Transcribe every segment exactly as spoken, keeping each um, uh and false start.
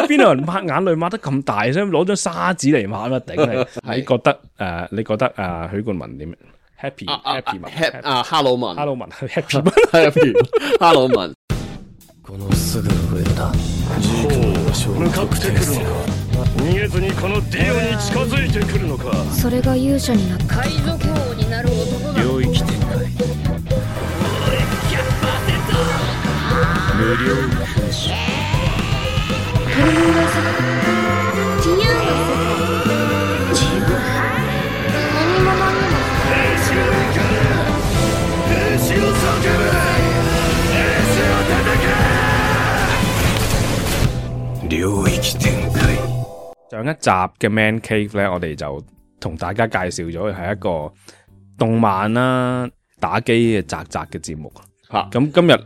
邊有人抹眼淚抹得咁大，想攞張砂紙嚟抹啊？頂你！你覺得誒、呃？你覺得啊？許冠文點 ？Happy Happy 文 Happy 啊哈羅文哈羅文 Happy 文 Happy 哈羅文。このすぐ上だ。向かってくるのか。逃げずにこのディオに近づいてくるのか。それが勇者になった海賊王になる男が領域展開。無料空襲。自由の世界自由の世界自由何者にも兵士を行け。兵士を叫べ。兵士を叩け。領域展開。上一集嘅 Man Cave 咧，我哋就同大家介紹咗係一個動漫啦、打機嘅宅宅嘅節目。吓、啊，咁今日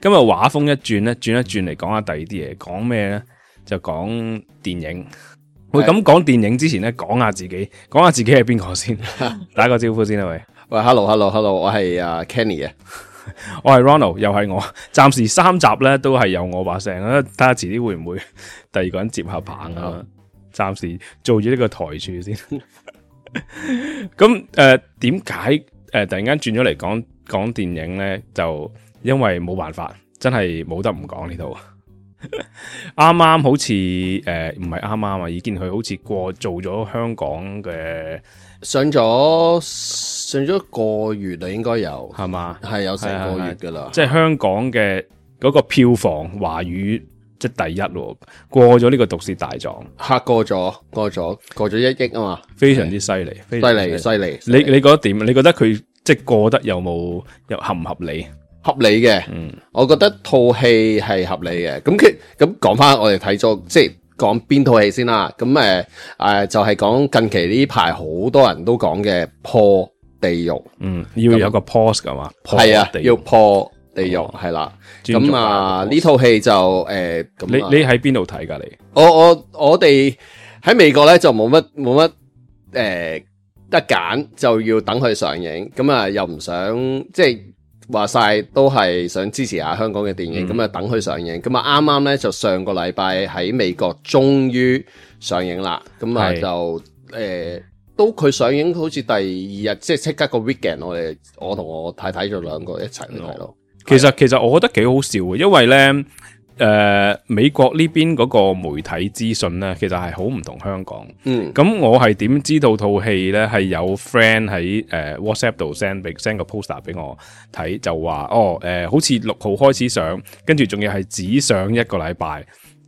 今日畫風一轉咧，轉一轉嚟講下第二啲嘢，講咩咧？就講電影。喂，咁講電影之前咧，講下自己，講下自己係邊個先？打個招呼先啦，喂。喂 ，Hello，Hello，Hello， 我係阿 Kenny 啊。我係 Ronald， 又係我。暫時三集咧都係有我把聲啊，睇下遲啲會唔會第二個人接下棒啊？暫時做住呢個台柱先。咁誒，點解誒突然間轉咗嚟講講電影咧？就因為冇辦法，真係冇得唔講呢套。啱啱好似誒唔係啱啱啊，已經佢好似過做咗香港嘅上咗上咗一個月啦，應該有係嘛？係有成個月噶啦，即係香港嘅嗰個票房華語即係第一喎，過咗呢個《毒舌大狀》，嚇過咗過咗過咗一億啊嘛，非常之犀利，犀利犀利。你你覺得點？你覺得佢即係過得有冇有合唔合理？合理嘅，嗯，我覺得套戲係合理嘅。咁佢咁講翻，我哋睇咗，即係講邊套戲先啦。咁誒誒，就係、是、講近期呢排好多人都講嘅破地獄，嗯，要有個 pause 噶嘛，係啊，要破地獄係啦。咁啊，呢套戲就誒，呃、你你喺邊度睇噶？你我我我哋喺美國咧就冇乜冇乜誒得揀，就要等佢上映。咁啊，又唔想即係。話晒都係想支持下香港嘅電影，咁啊、嗯、等佢上映，咁啊啱啱咧就上個禮拜喺美國終於上映啦，咁啊就誒、呃、都佢上映好似第二日，即係即刻個 weekend， 我哋我同我太太就兩個一齊去睇咯。其實其實我覺得幾好笑嘅，因為咧。誒、呃，美國呢邊嗰個媒體資訊咧，其實係好唔同香港。嗯，咁我係點知道套戲咧係有 friend 喺誒、呃、WhatsApp 度 send 俾 send 個 poster 俾我睇，就話哦，誒、呃，好似六號開始上，跟住仲要係只上一個禮拜。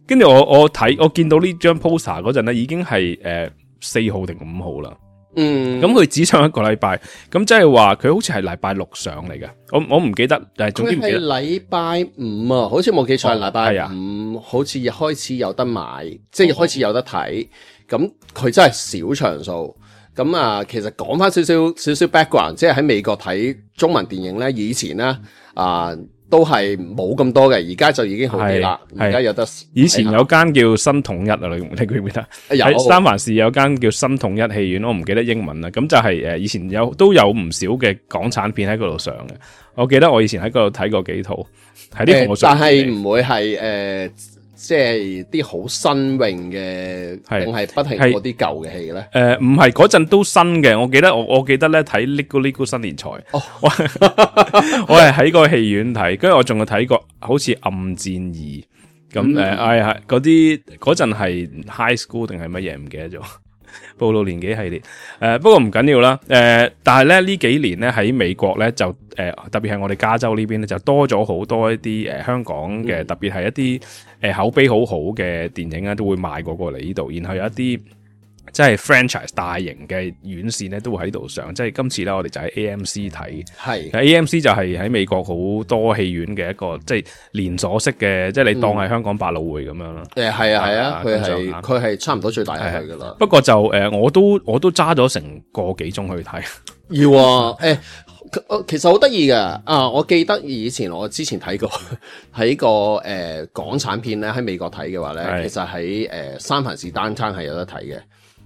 跟住我我睇我見到呢張 poster 嗰陣咧，已經係誒四號定五號啦。嗯，咁佢只上一個禮拜，咁即係話佢好似係禮拜六上嚟嘅，我我唔記得，但係總之唔記得。佢係禮拜五啊，好似冇記錯係禮拜五，哦啊、好似開始有得買，即係開始有得睇。咁佢真係小場數。咁啊，其實講翻少少少少 background， 即係喺美國睇中文電影咧，以前咧啊。呃都係冇咁多嘅，而家就已經好啲啦。而家有得，以前有間叫新統一啊，你你記唔記得？喺三藩市有間叫新統一戲院，我唔記得英文啦。咁就係誒，以前有都有唔少嘅港產片喺嗰度上嘅。我記得我以前喺嗰度睇過幾套，喺啲我但係唔會係誒。呃即係啲好新穎嘅，定係不停嗰啲舊嘅戲咧？誒，唔係嗰陣都新嘅。我記得我我記得咧睇《Lego Lego 新年財》，哦，我我係喺個戲院睇，跟住我仲有睇過好似《暗戰二》咁誒，哎係嗰啲嗰陣係 High School 定係乜嘢唔記得咗。暴露年紀系列，誒、呃，不過唔緊要啦，誒、呃，但係咧呢幾年咧喺美國咧就誒、呃，特別係我哋加州呢邊咧就多咗好多一啲誒、呃、香港嘅，特別係一啲誒、呃、口碑好好嘅電影啊，都會賣過過嚟呢度，然後有一啲即係 franchise 大型嘅院線咧都會喺度上，即係今次咧我哋就喺 A M C 睇，係 A M C 就係喺美國好多戲院嘅一個即係連鎖式嘅，即係你當係香港百老匯咁樣啦。誒係啊係啊，佢係佢係差唔多最大嘅噶啦。不過就誒、呃，我都我都揸咗成個幾鐘去睇。要啊，誒、欸，其實好得意噶啊！我記得以前我之前睇過喺個誒、呃、港產片咧喺美國睇嘅話咧，其實喺誒、呃、三藩市單餐係有得睇嘅。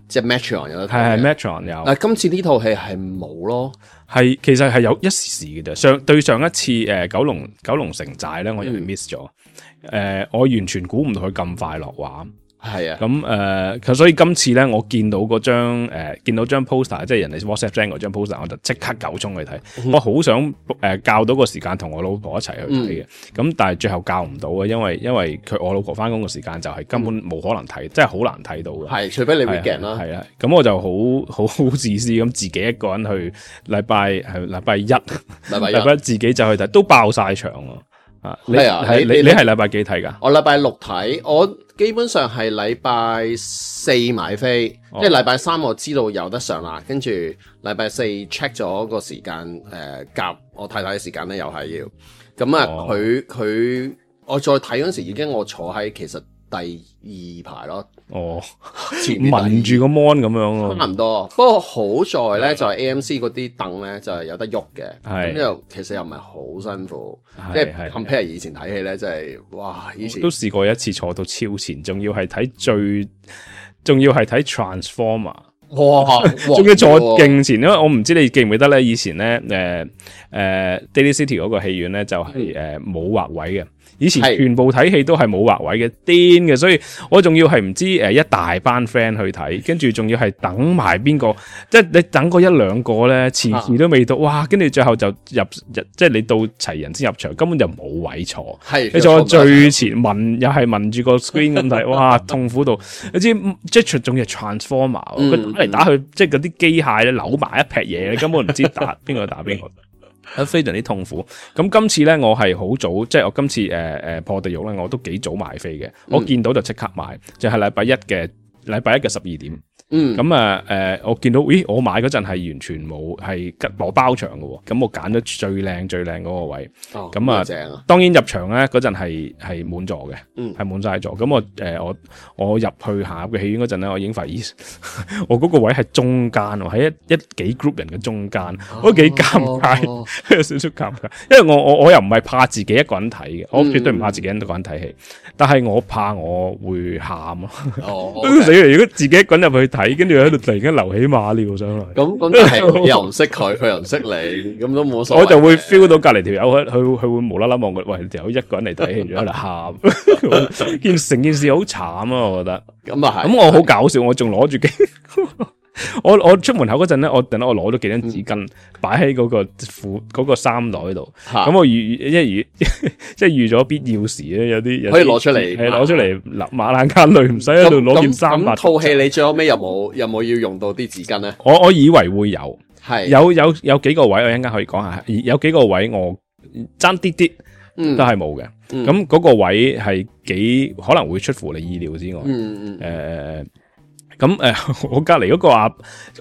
即係 Metron 有得睇係係嘅。 Metron 有。但係今次呢套戲係冇咯。係其實係有一時時嘅啫。上對上一次誒、呃、九龍九龍城寨咧，我因為 miss 咗。誒、呃，我完全估唔到佢咁快落畫。係啊，咁誒，咁所以今次咧，我見到嗰張誒，見到張 poster， 即係人哋 WhatsApp send 嗰張 poster， 我就即刻九衝去睇。嗯、我好想誒、呃、教到個時間同我老婆一齊去睇嘅，咁、嗯、但係最後教唔到啊，因為因為佢我老婆翻工嘅時間就係根本冇可能睇，即係好難睇到嘅。係，除非你 weekend 啦。係啊，咁我就好好好自私咁，自己一個人去禮拜係禮拜一，禮拜一禮拜一自己就去睇，都爆晒場啊！啊，係啊，係你你係禮拜幾睇㗎？我禮拜六睇，我基本上係禮拜四買飛，哦、即係禮拜三我知道有得上啦，跟住禮拜四 check 咗個時間，誒、呃、夾我太太嘅時間咧，又係要咁啊。佢佢、哦、我再睇嗰時已經我坐喺其實第二排咯。哦，前面聞住個 mon 咁樣咯，差唔多。不過好在咧就係 A M C 嗰啲凳咧就係有得喐嘅，咁又其實又唔係好辛苦，即係 compare 以前睇戲咧，真係哇！以前都試過一次坐到超前，仲要係睇最，仲要係睇 Transformer， 哇！仲要坐勁前，因為我唔知你記唔記得咧，以前咧誒誒 Daly City 嗰個戲院咧就係誒冇劃位嘅。以前全部睇戲都係冇劃位嘅，癲嘅，所以我仲要係唔知誒一大班 friend 去睇，跟住仲要係等埋邊個，即係你等過一兩個咧，遲遲都未到，哇！跟住最後就入入，即係你到齊人先入場，根本就冇位坐，係你坐最前，聞又係聞住個 screen 咁睇，哇！痛苦到你知 Jetro 仲要 Transformer， 佢、嗯、打嚟打去，即係嗰啲機械咧扭埋一劈嘢，你根本唔知打邊個打邊個。非常之痛苦。咁今次咧，我係好早，即係我今次誒誒、呃、破地獄咧，我都幾早買飛嘅。嗯、我見到就即刻買，就係、是、禮拜一嘅禮拜一嘅十二點。嗯，咁啊誒，我見到，咦，我買嗰陣係完全冇係吉攞包場嘅喎，咁我揀咗最靚最靚嗰個位。哦，咁啊，正啊！當然入場咧嗰陣係係滿座嘅，嗯，係滿晒座。咁我誒、呃、我我入去下嘅戲院嗰陣咧，我已經發現，我嗰個位係中間喎，喺一一幾 group 人嘅中間，哦、我都幾尷尬，哦、有少少尷尬。因為我我我又唔係怕自己一個人睇嘅，我絕對唔怕自己一個人睇戲，嗯、但係我怕我會喊咯。哦，死啦！如果自己一個人入去睇，跟住喺度突然間流起馬尿上嚟，咁咁係又唔識佢，佢又唔識你，咁都冇所謂。我就會 feel 到隔籬條友，佢佢佢會無啦啦望佢，喂，條友一個人嚟睇戲，仲喺度喊，件成件事好慘啊！我覺得咁啊係，咁我好搞笑，我仲攞住機。我我出門口嗰陣咧，我等我攞咗幾張紙巾擺喺嗰個褲嗰個衫袋度，咁我預一預即係預咗必要時咧，有啲可以攞出嚟，係攞出嚟流馬冷眼淚，唔使喺度攞件衫。咁套戲你最後尾有冇有冇要用到啲紙巾咧？我我以為會有，係有有有幾個位我一陣間可以講下，有幾個位我爭啲啲都係冇嘅。咁嗰個位係幾可能會出乎你意料之外。嗯嗯誒。咁誒、呃，我隔籬嗰個阿，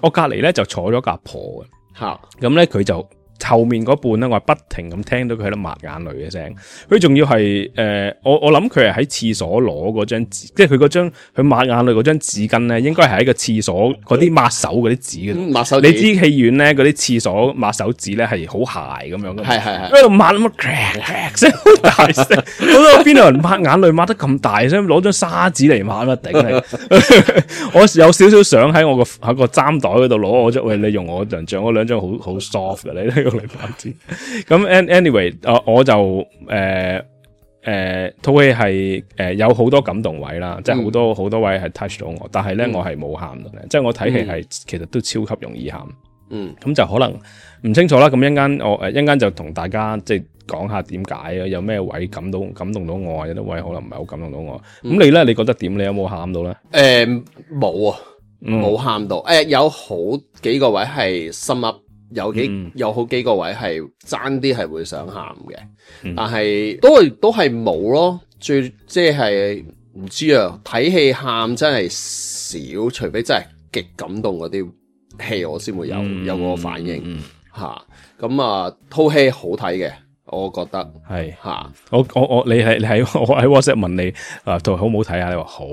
我隔籬咧就坐咗個阿婆嘅，吓，咁咧佢就後面嗰半咧，我係不停咁聽到佢喺度抹眼淚嘅聲，佢仲要係誒、呃，我我諗佢係喺廁所攞嗰張紙，即係佢嗰張佢抹眼淚嗰張紙巾咧，應該係喺個廁所嗰啲抹手嗰啲紙嘅，抹手。你知戲院咧嗰啲廁所抹手紙咧係好鞋咁樣嘅，係係係，喺度抹咁 crack crack 聲好大聲，我諗邊度人抹眼淚抹得咁大聲，攞張砂紙嚟抹啊頂你！我有少少想喺我個喺個衫袋嗰度攞我張，喂，你用我張張，我兩張好好 soft 嘅你。咁 anyway， 我就誒誒套戲係誒有好多感動位啦，嗯、即係好多好多位係 touch 到我，但係咧、嗯、我係冇喊到嘅，即係我睇戲係其實都超級容易喊，嗯，咁就可能唔清楚啦。咁一陣間我誒一陣間就同大家即係講下點解啊，有咩位感到感動到我，有啲位可能唔係好感動到我。咁、嗯、你咧，你覺得點？你有冇喊到咧？誒冇、呃、啊，冇喊到。誒、呃、有好幾個位係心噏。有幾、嗯、有好幾個位係爭啲係會想喊嘅，嗯、但係都係都係冇咯。最即係唔知啊，睇戲喊真係少，除非真係極感動嗰啲戲，我先會有、嗯、有個反應吓。咁啊，套戲好睇嘅。我覺得係吓、啊，我我我你係你喺我喺 WhatsApp 問你啊，套好唔好睇啊？你話好，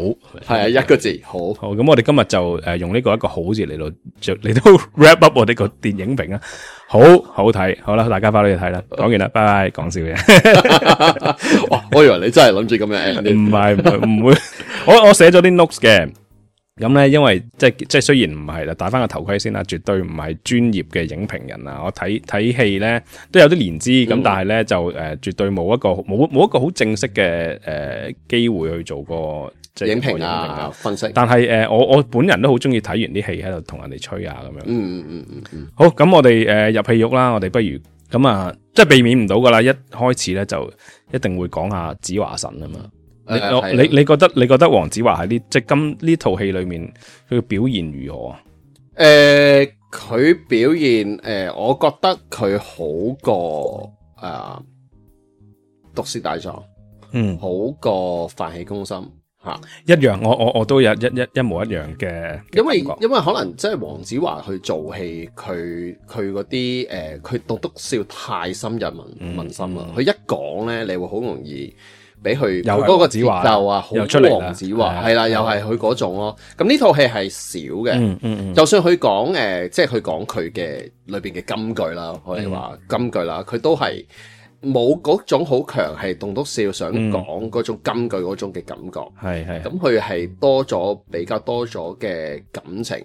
係啊，一個字好。好，咁我哋今日就誒用呢個一個好字嚟到嚟到 wrap up 我哋個電影評啊，好好睇，好啦，大家翻去睇啦。講完啦，拜拜，講笑嘅。哇，我以為你真係諗住咁樣，唔係唔會，我我寫咗啲 notes 嘅。咁咧，因為即係即係雖然唔係啦，戴翻個頭盔先啦，絕對唔係專業嘅影評人啊。我睇睇戲咧都有啲年資，咁、嗯、但係咧就誒、呃、絕對冇一個冇冇一個好正式嘅誒機會去做過即係影評啊，影評啊分析。但係誒、呃、我我本人都好中意睇完啲戲喺度同人哋吹啊咁樣。嗯嗯嗯嗯嗯。好，咁我哋誒、呃、入戲肉啦，我哋不如咁啊，即係避免唔到噶啦，一開始咧就一定會講下子華神啊嘛。你、呃、你你覺得你覺得黃子華喺呢即係今呢套戲裏面佢嘅表現如何啊？誒、呃，佢表現誒、呃，我覺得佢好過誒毒舌大狀，嗯，好過飯氣攻心吓、啊，一樣，我我我都有一一一模一樣嘅，因為因為可能即係黃子華去做戲，佢佢嗰啲誒，佢棟篤笑太深入民民心啦，佢、嗯、一講咧，你會好容易。俾佢有嗰個節奏啊，好黃子華係啦，又係佢嗰種咯。咁呢套戲係少嘅、嗯嗯嗯，就算佢講誒，即係佢講佢嘅裏邊嘅金句啦，可以話金句啦，佢都係冇嗰種好強係棟篤笑想講嗰種金句嗰種嘅感覺。係係咁，佢係多咗比較多咗嘅感情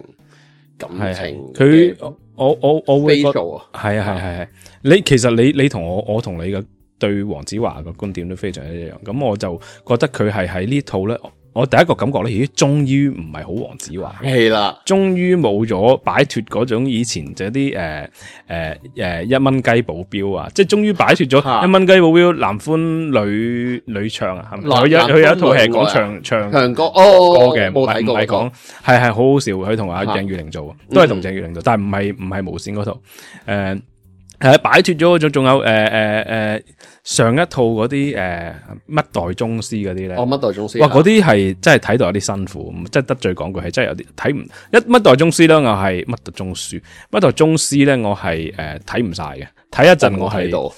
感情。佢我我我會覺得啊，係啊係係係。你其實你你同我我同你嘅。對黃子華嘅觀點都非常一樣，咁我就覺得佢係喺呢套咧，我第一個感覺咧，咦，終於唔係好黃子華，係啦，終於冇咗擺脫嗰種以前就啲誒誒誒一蚊雞保鏢啊，即係終於擺脫咗一蚊雞保鏢男歡女女唱啊，係咪？佢有佢有一套係講唱唱唱歌哦歌嘅，唔係唔係講係係好好笑，佢同阿鄭裕玲做，都係同鄭裕玲做，但係唔係唔係無線嗰套誒。呃係擺脫咗嗰種，仲有誒誒誒上一套嗰啲誒乜代宗師嗰啲咧，哦乜代宗師，哇嗰啲係真係睇到有啲辛苦，即係得罪講句係真係有啲睇唔一乜代宗師咧，我係乜代宗師，乜代宗師咧，我係誒睇唔晒嘅，睇一陣我係到，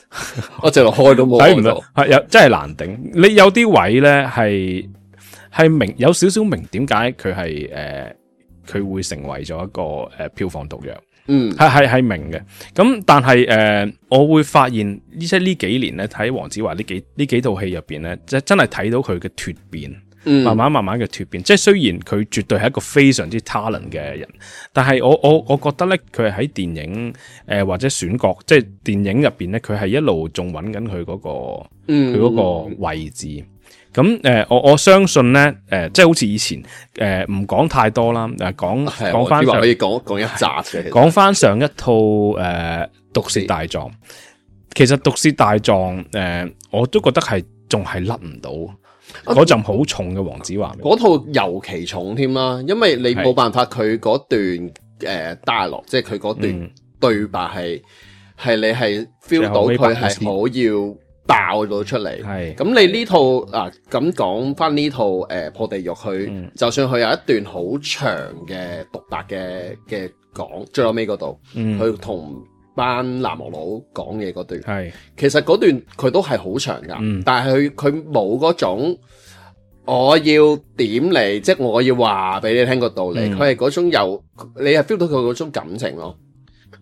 我直落開都冇睇唔到，係有真係難頂。你有啲位咧係係明有少少明點解佢係誒佢會成為咗一個誒、呃、票房毒藥。嗯，係係係明嘅，咁但係誒、呃，我會發現即係呢幾年咧睇黃子華呢幾呢幾套戲入邊咧，即係真係睇到佢嘅脫變，嗯，慢慢慢慢嘅脫變。即係雖然佢絕對係一個非常之 talent 嘅人，但係我我我覺得咧，佢係喺電影誒、呃、或者選角，即係電影入邊咧，佢係一路仲揾緊佢嗰個，佢嗰個位置。咁誒、呃，我我相信咧，誒、呃，即係好似以前誒，唔、呃、講太多啦，誒，講講翻可以講講一集嘅，講翻上一套誒《毒舌大狀》，其實《毒舌大狀》誒，我都覺得係仲係甩唔到嗰陣好重嘅黃子華，嗰套尤其重添啦，因為你冇辦法，佢嗰段誒 dialogue，即係佢嗰段對白係係、嗯、你係 feel 到佢係好要。爆到出嚟，係咁你呢套啊咁講翻呢套誒、呃、破地獄去、嗯，就算佢有一段好長嘅獨白嘅嘅講，最後尾嗰度，佢同班南無佬講嘢嗰段，係其實嗰段佢都係好長噶、嗯，但係佢佢冇嗰種我要點嚟，即係我要話俾你聽個道理，佢係嗰種有你係 feel 到佢嗰種感情咯。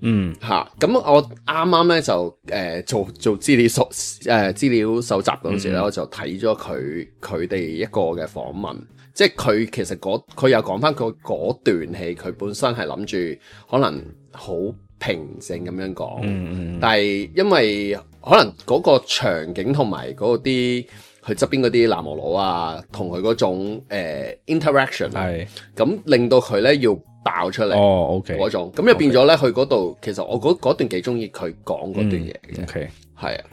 嗯吓，咁我啱啱咧就誒、呃、做做資料搜誒資料搜集嗰陣時咧、嗯，我就睇咗佢佢哋一個嘅訪問，即係佢其實嗰佢又講翻佢嗰段戲，佢本身係諗住可能好平靜咁樣講，嗯嗯，但係因為可能嗰個場景同埋嗰啲佢側邊嗰啲南無佬啊，同佢嗰種誒、呃、interaction 係，咁令到佢咧要爆出嚟哦 ，OK 嗰種，咁就變咗咧，佢嗰度其實我嗰段幾中意佢講嗰段嘢嘅，OK 係啊，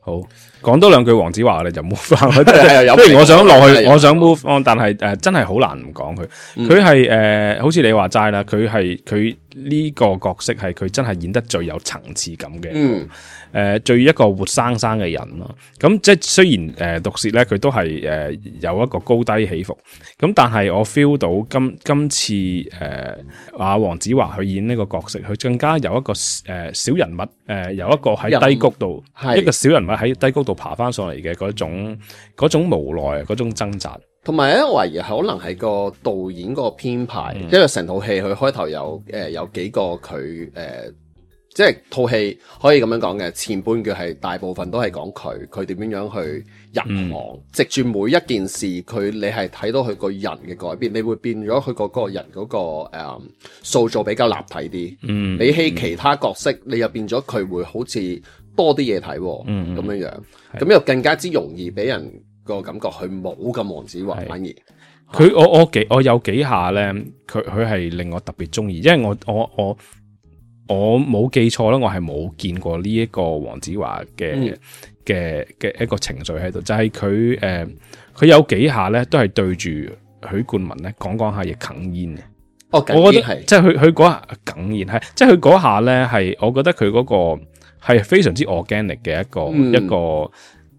好講多兩句黃子華，你就 move 翻，即係雖然我想落去，我想 move on，但係誒、呃、真係好難唔講佢，佢係誒好似你話齋啦，佢係佢呢個角色係佢真係演得最有層次感嘅。嗯誒、呃，最一個活生生嘅人咯，咁即係雖然誒毒舌咧，佢都係誒、呃、有一個高低起伏，咁但係我 feel 到今今次誒阿黃子華去演呢個角色，佢更加有一個誒、呃、小人物，誒、呃、有一個喺低谷度，一個小人物喺低谷度爬翻上嚟嘅嗰種嗰種無奈，嗰種掙扎，同埋咧，我懷疑可能係個導演個編排，嗯、因為成套戲佢開頭有誒、呃、有幾個佢誒。呃即係套戲可以咁樣講嘅，前半句係大部分都係講佢，佢點樣樣去入行，藉住、嗯、每一件事，佢你係睇到佢個人嘅改變，你會變咗佢個個人嗰、那個誒、嗯、塑造比較立體啲。嗯，比起其他角色，你又變咗佢會好似多啲嘢睇，嗯咁樣樣，咁的又更加之容易俾人個感覺，佢冇咁黃子華，的反而佢我我幾我有幾下咧，佢佢係令我特別中意，因為我我我。我冇記錯啦，我係冇見過呢一個黃子華嘅嘅嘅一個情緒喺度，就係佢誒佢有幾下咧都係對住許冠文咧講講下嘢哽咽嘅。哦，我覺得即係佢佢嗰下哽咽係，即係佢嗰下咧係，我覺得佢嗰個係非常之 organic 嘅一個、嗯、一個誒、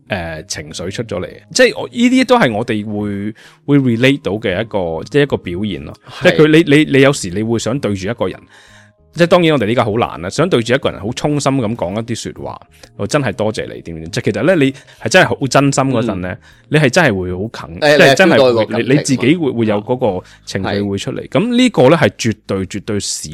呃、情緒出咗嚟，即係我呢啲都係我哋會會 relate 到嘅一個即係一個表現咯。是即係佢你你你有時你會想對住一個人。即係當然我哋呢家好難啦，想對住一個人好衷心咁講一啲說話，我真係多謝你點點。即係其實咧，你係真係好真心嗰陣咧，嗯、你係真係會好近，即係、嗯、真係你你自己會會有嗰個情緒會出嚟。咁呢、嗯、個咧係絕對絕對少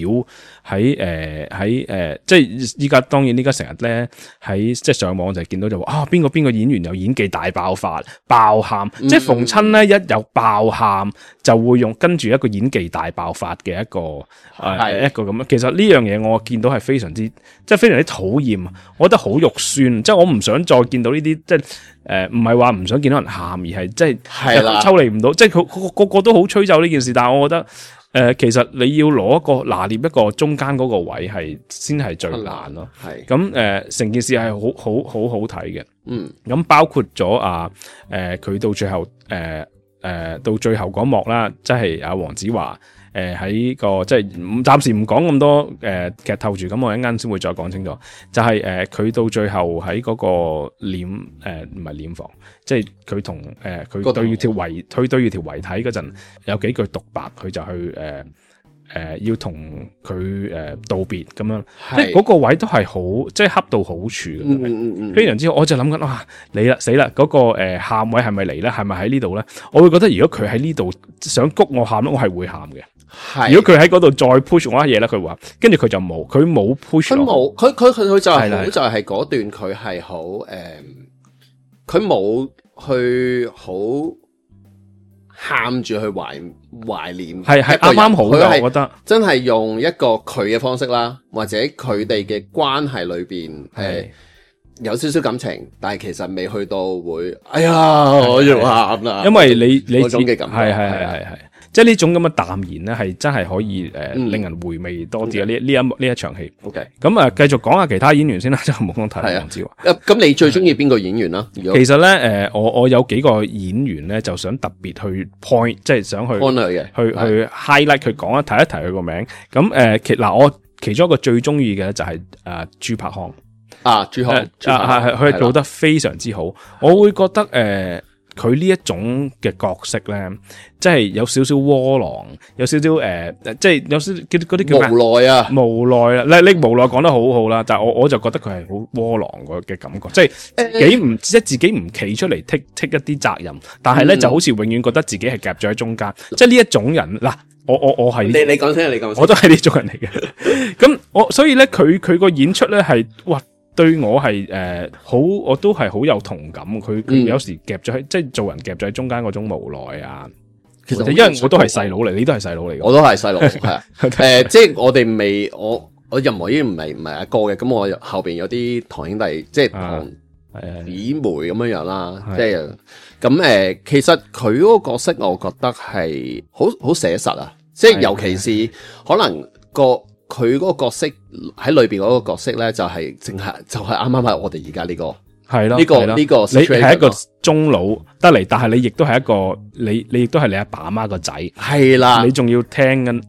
喺誒喺誒，即係依家當然呢家成日咧喺即係上網就係見到就話啊邊個邊個演員有演技大爆發爆喊，嗯、即係逢親咧一有爆喊就會用跟住一個演技大爆發嘅一個誒、呃、的一個咁樣。其實呢樣嘢我見到係非常之即係非常之討厭，我覺得好肉酸，即係我唔想再見到呢啲即係誒唔係話唔想見到人喊，而係即係係啦抽離唔到，即係佢個個都好吹奏呢件事，但係我覺得誒、呃、其實你要攞一個拿捏一個中間嗰個位係先係最難咯。係咁誒成件事係好好好好睇嘅。嗯，咁包括咗啊誒佢、呃、到最後誒誒、呃呃、到最後嗰幕啦，即係阿黃子華。誒喺、呃、個即係暫時唔講咁多誒、呃、劇透住，咁我一陣先會再講清楚。就係誒佢到最後喺嗰個殮誒唔係殮房，即係佢同誒佢對條遺佢對住條遺體嗰陣有幾句獨白，佢就去誒誒、呃呃、要同佢誒道別咁樣，是即係嗰個位都係好即係恰到好處嘅，嗯嗯嗯非常之好。我就諗緊哇，你啦死啦嗰、那個誒喊、呃、位係咪嚟咧？係咪喺呢度咧？我會覺得如果佢喺呢度想谷我喊咧，我係會喊嘅。係，如果佢喺嗰度再 push 我一嘢咧，佢話，跟住佢就冇，佢冇 push。佢冇，佢佢佢佢就係好，就係嗰段佢係好誒，佢冇去好喊住去懷懷念，係係啱啱好嘅，我覺得真係用一個佢嘅方式啦，或者佢哋嘅關係裏邊誒有少少感情，但係其實未去到會，哎呀我要喊啦，因為你你嗰種嘅感覺，係係係係係。即係呢種咁嘅淡然咧，係真係可以誒，呃嗯、令人回味多啲啊！呢呢一呢一場戲。OK，咁啊，繼續講下其他演員先啦，即係冇講太黃子華。咁你最中意邊個演員啦？其實咧，誒、呃，我我有幾個演員咧，就想特別去 point，即係想去嘅，去去 highlight 佢講一提一提佢個名。咁誒、呃，其嗱我其中一個最中意嘅就係誒朱柏康啊，朱康，係係佢係做得非常之好，的我會覺得誒。呃佢呢一種嘅角色咧，即係有少少窩囊，有少少誒、呃，即係有少啲嗰啲叫咩？無奈啊，無奈啊！你你無奈講得好好啦，但係我我就覺得佢係好窩囊嘅感覺，即係幾唔即係自己唔企出嚟剔剔一啲責任，但係咧、嗯、就好似永遠覺得自己係夾咗喺中間，嗯、即係呢一種人嗱，我我我係你你講先，你講先，我都係呢種人嚟嘅。咁我所以咧，佢佢個演出咧係哇。對我係誒、呃、好，我都係好有同感。佢佢有時夾咗喺，即係做人夾咗喺中間嗰種無奈啊。其實因為我都係細佬嚟，你都係細佬嚟嘅，我都係細佬係啊。誒，即係我哋未，我我任何已經唔係唔係阿哥嘅。咁我後邊有啲堂兄弟，即係堂姊妹咁樣樣啦。即係咁誒，其實佢嗰個角色，我覺得係好好寫實啊。即係尤其是可能個。佢嗰個角色喺裏邊嗰個角色咧，就係淨係就係啱啱係我哋而家呢個係咯，呢個呢個你係一個中老得嚟，但係你亦都係一個你你亦都係你阿爸阿媽個仔，係啦，你仲要聽緊，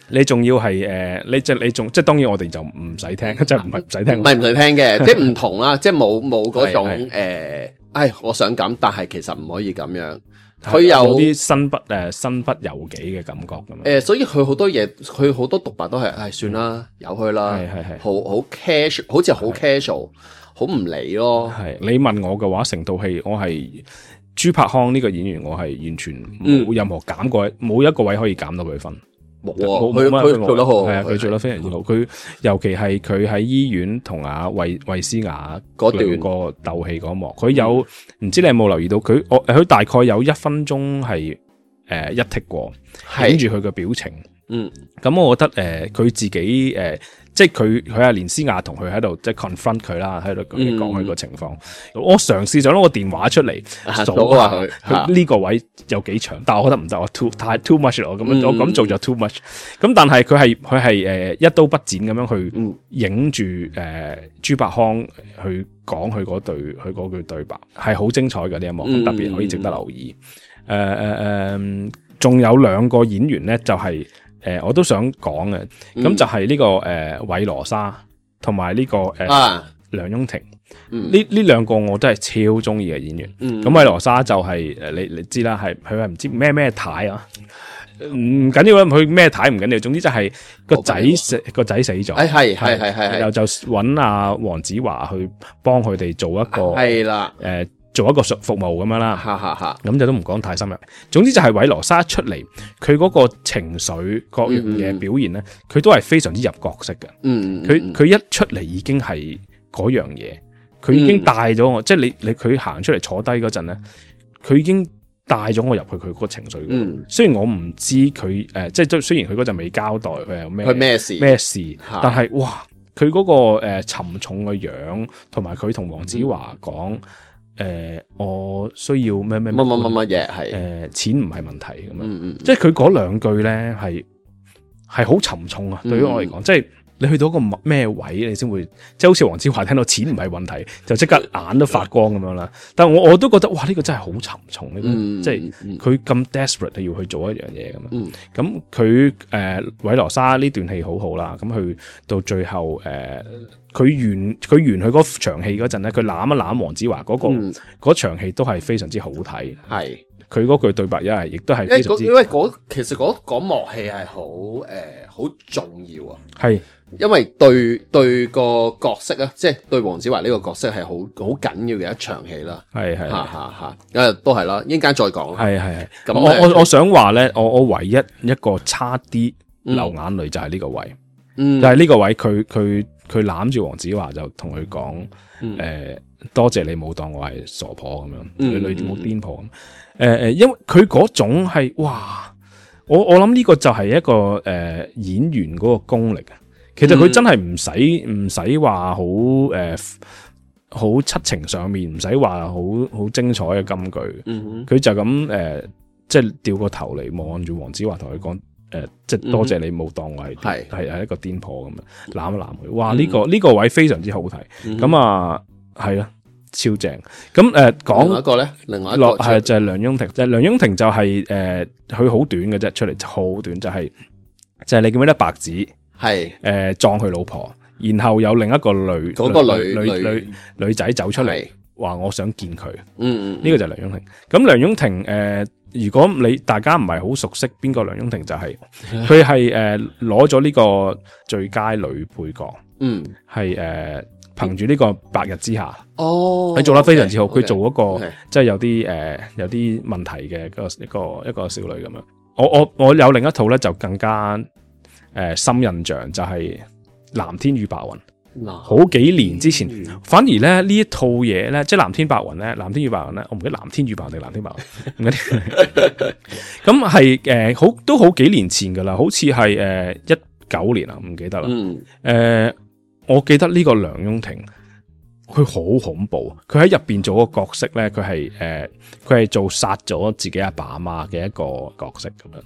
你仲要係誒，你即係你仲即係當然我哋就唔使聽，即係唔係唔使聽，唔係唔使聽嘅，即係唔同啦，即係冇冇嗰種誒，唉，我想咁，但係其實唔可以咁樣。佢有啲身不誒身不由己嘅感覺咁樣，誒，所以佢好多嘢，佢好多獨白都係，唉，算啦，由佢啦，係係係，好好 casual，好似好 casual，好唔理咯。係你問我嘅話，成套戲我係朱柏康呢個演員，我係完全冇任何減過，冇一個位可以減到佢分。冇啊，佢佢做得好，係啊，佢做得非常之好。佢尤其係佢喺醫院同阿衛衛斯雅嗰段個鬥戲嗰幕，佢有唔、嗯、知你有冇留意到佢？我佢大概有一分鐘係誒一剔過，影住佢嘅表情。嗯，咁我覺得誒佢、呃、自己誒、呃，即係佢佢阿連詩雅同佢喺度即係 confront 佢啦，喺度講佢個情況。嗯、我嘗試咗攞個電話出嚟數下佢，佢呢個位有幾長，但係我覺得唔得，我 too 太 too much 咯，咁樣我咁做就 too much。咁但係佢係佢係誒一刀不剪咁樣去影住誒朱柏康去講佢嗰對佢嗰句對白，係好精彩嘅呢一幕，嗯、特別可以值得留意。誒誒誒，仲有兩個演員咧，就係、是。誒、呃，我都想講嘅，咁、嗯、就係呢、這個誒韋羅莎同埋呢個誒、呃啊、梁雍婷，呢呢兩個我都係超中意嘅演員。咁韋羅莎就係、是、誒你你知啦，係佢係唔知咩咩太啊，唔緊要啦，佢咩太唔緊要，總之就係個仔死個仔死咗，係係係係係，然後就揾阿黃子華去幫佢哋做一個係啦，誒。呃做一個服服務咁樣啦，哈哈哈，咁就都唔講太深入。總之就係韋羅莎出嚟，佢嗰個情緒各樣嘅表現咧，佢、嗯、都係非常之入角色嘅。嗯，佢佢一出嚟已經係嗰樣嘢，佢已經帶咗我，嗯、即係你你佢行出嚟坐低嗰陣咧，佢已經帶咗我入去佢嗰個情緒。嗯，雖然我唔知佢誒、呃，即係雖然佢嗰陣未交代佢有咩咩事咩事，但係哇，佢嗰、嗰個誒、呃、沉重嘅樣，同埋佢同黃子華講。嗯誒、呃，我需要咩咩乜乜乜乜嘢係誒，錢唔係問題咁樣，嗯嗯、即係佢嗰兩句咧係係好沉重啊！嗯、對於我嚟講，即係你去到個咩位，你先會即係好似黃子華聽到錢唔係問題，就即刻眼都發光咁樣啦。但係我我都覺得哇，呢、這個真係好沉重，呢、嗯、即係佢咁 desperate 要去做一樣嘢咁樣。咁佢誒韋羅莎呢段戲好好啦，咁去到最後誒。呃佢完佢完佢嗰場戲嗰陣咧，佢攬一攬黃子華嗰、那個嗰、嗯、場戲都係非常之好睇。係佢嗰句對白一係亦都係非常之，因為嗰其實嗰嗰幕戲係好誒好重要啊。係因為對對個角色啊，即係對黃子華呢個角色係好好緊要嘅一場戲啦。係係嚇嚇嚇，誒都係啦，一陣間再講。係係係。咁我我我想話咧，我我唯一一個差啲流眼淚就係呢個位，嗯、就係呢個位佢佢。佢攬住黃子華就同佢講，誒、嗯呃，多謝你冇當我係傻婆咁樣，你女冇癲婆咁，誒、呃、誒，因為佢嗰種係，哇，我我諗呢個就係一個誒、呃、演員嗰個功力啊。其實佢真係唔使唔使話好誒好七情上面，唔使話好好精彩嘅金句，佢、嗯、就咁誒、呃，即係掉個頭嚟望住黃子華同佢講。誒、呃，即係多謝你冇當我係係係一個癲婆咁樣攬一攬佢，哇！呢、嗯這個呢、這個位非常之好睇，咁、嗯、啊係啊，超正。咁誒講另外一個咧，另外一個係就係、是、梁雍婷，就係、是、梁雍婷就係、是、誒，佢、呃、好短嘅啫，出嚟好短，就係、是、就係、是、你記唔記得白紙係誒撞佢老婆，然後有另一個女嗰、那個女女女女，女仔走出嚟話我想見佢，嗯嗯，呢、這個就係梁雍婷。咁梁雍婷誒。呃如果你大家唔係好熟悉邊個梁雍婷，就係佢係誒攞咗呢個最佳女配角，嗯，係誒憑住呢個白日之下，哦，佢做得非常之好，佢、okay, 做嗰、那個、okay. 即係有啲誒、呃、有啲問題嘅一個一個一個少女咁樣。我我我有另一套咧就更加誒、呃、深印象，就係、是《藍天與白雲》。好幾年之前，嗯、反而咧呢一套嘢咧，即係藍天白雲咧，藍天與白雲咧，我唔記得藍天與白雲定藍天白雲，唔記得。咁係誒，好都好幾年前噶啦，好似係誒一九年啊，唔記得啦。誒、嗯呃，我記得呢個梁雍婷，佢好恐怖，佢喺入邊做個角色咧，佢係誒，佢、呃、係做殺咗自己阿爸阿媽嘅一個角色咁樣。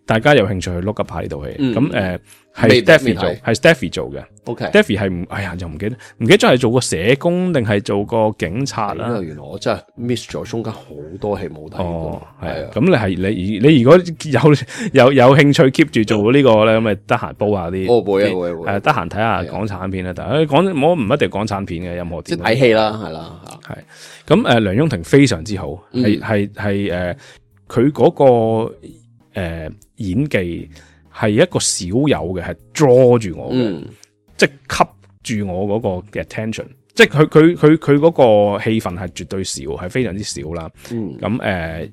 大家有興趣去 look up 下呢套戲，咁誒係 Stephy 做，係 Stephy 做嘅。OK，Stephy 係唔，哎呀，又唔記得，唔記得咗係做個社工定係做個警察啦。原來我真係 miss 咗中間好多戲冇睇過。哦，係啊，咁你係你你如果有有有興趣 keep 住做呢個咧，咁咪得閒煲下啲。哦，會啊會會。誒，得閒睇下港產片啦，但係講我唔一定港產片嘅，任何即係睇戲啦，係啦，係。咁誒，梁雍婷非常之好，係係係誒，佢嗰個。誒、呃，演技係一個少有嘅，係 draw 住我嘅、嗯，即係吸住我嗰個嘅 attention，即係佢佢佢佢嗰個戲份係絕對少，係非常之少啦。咁、嗯、誒、呃，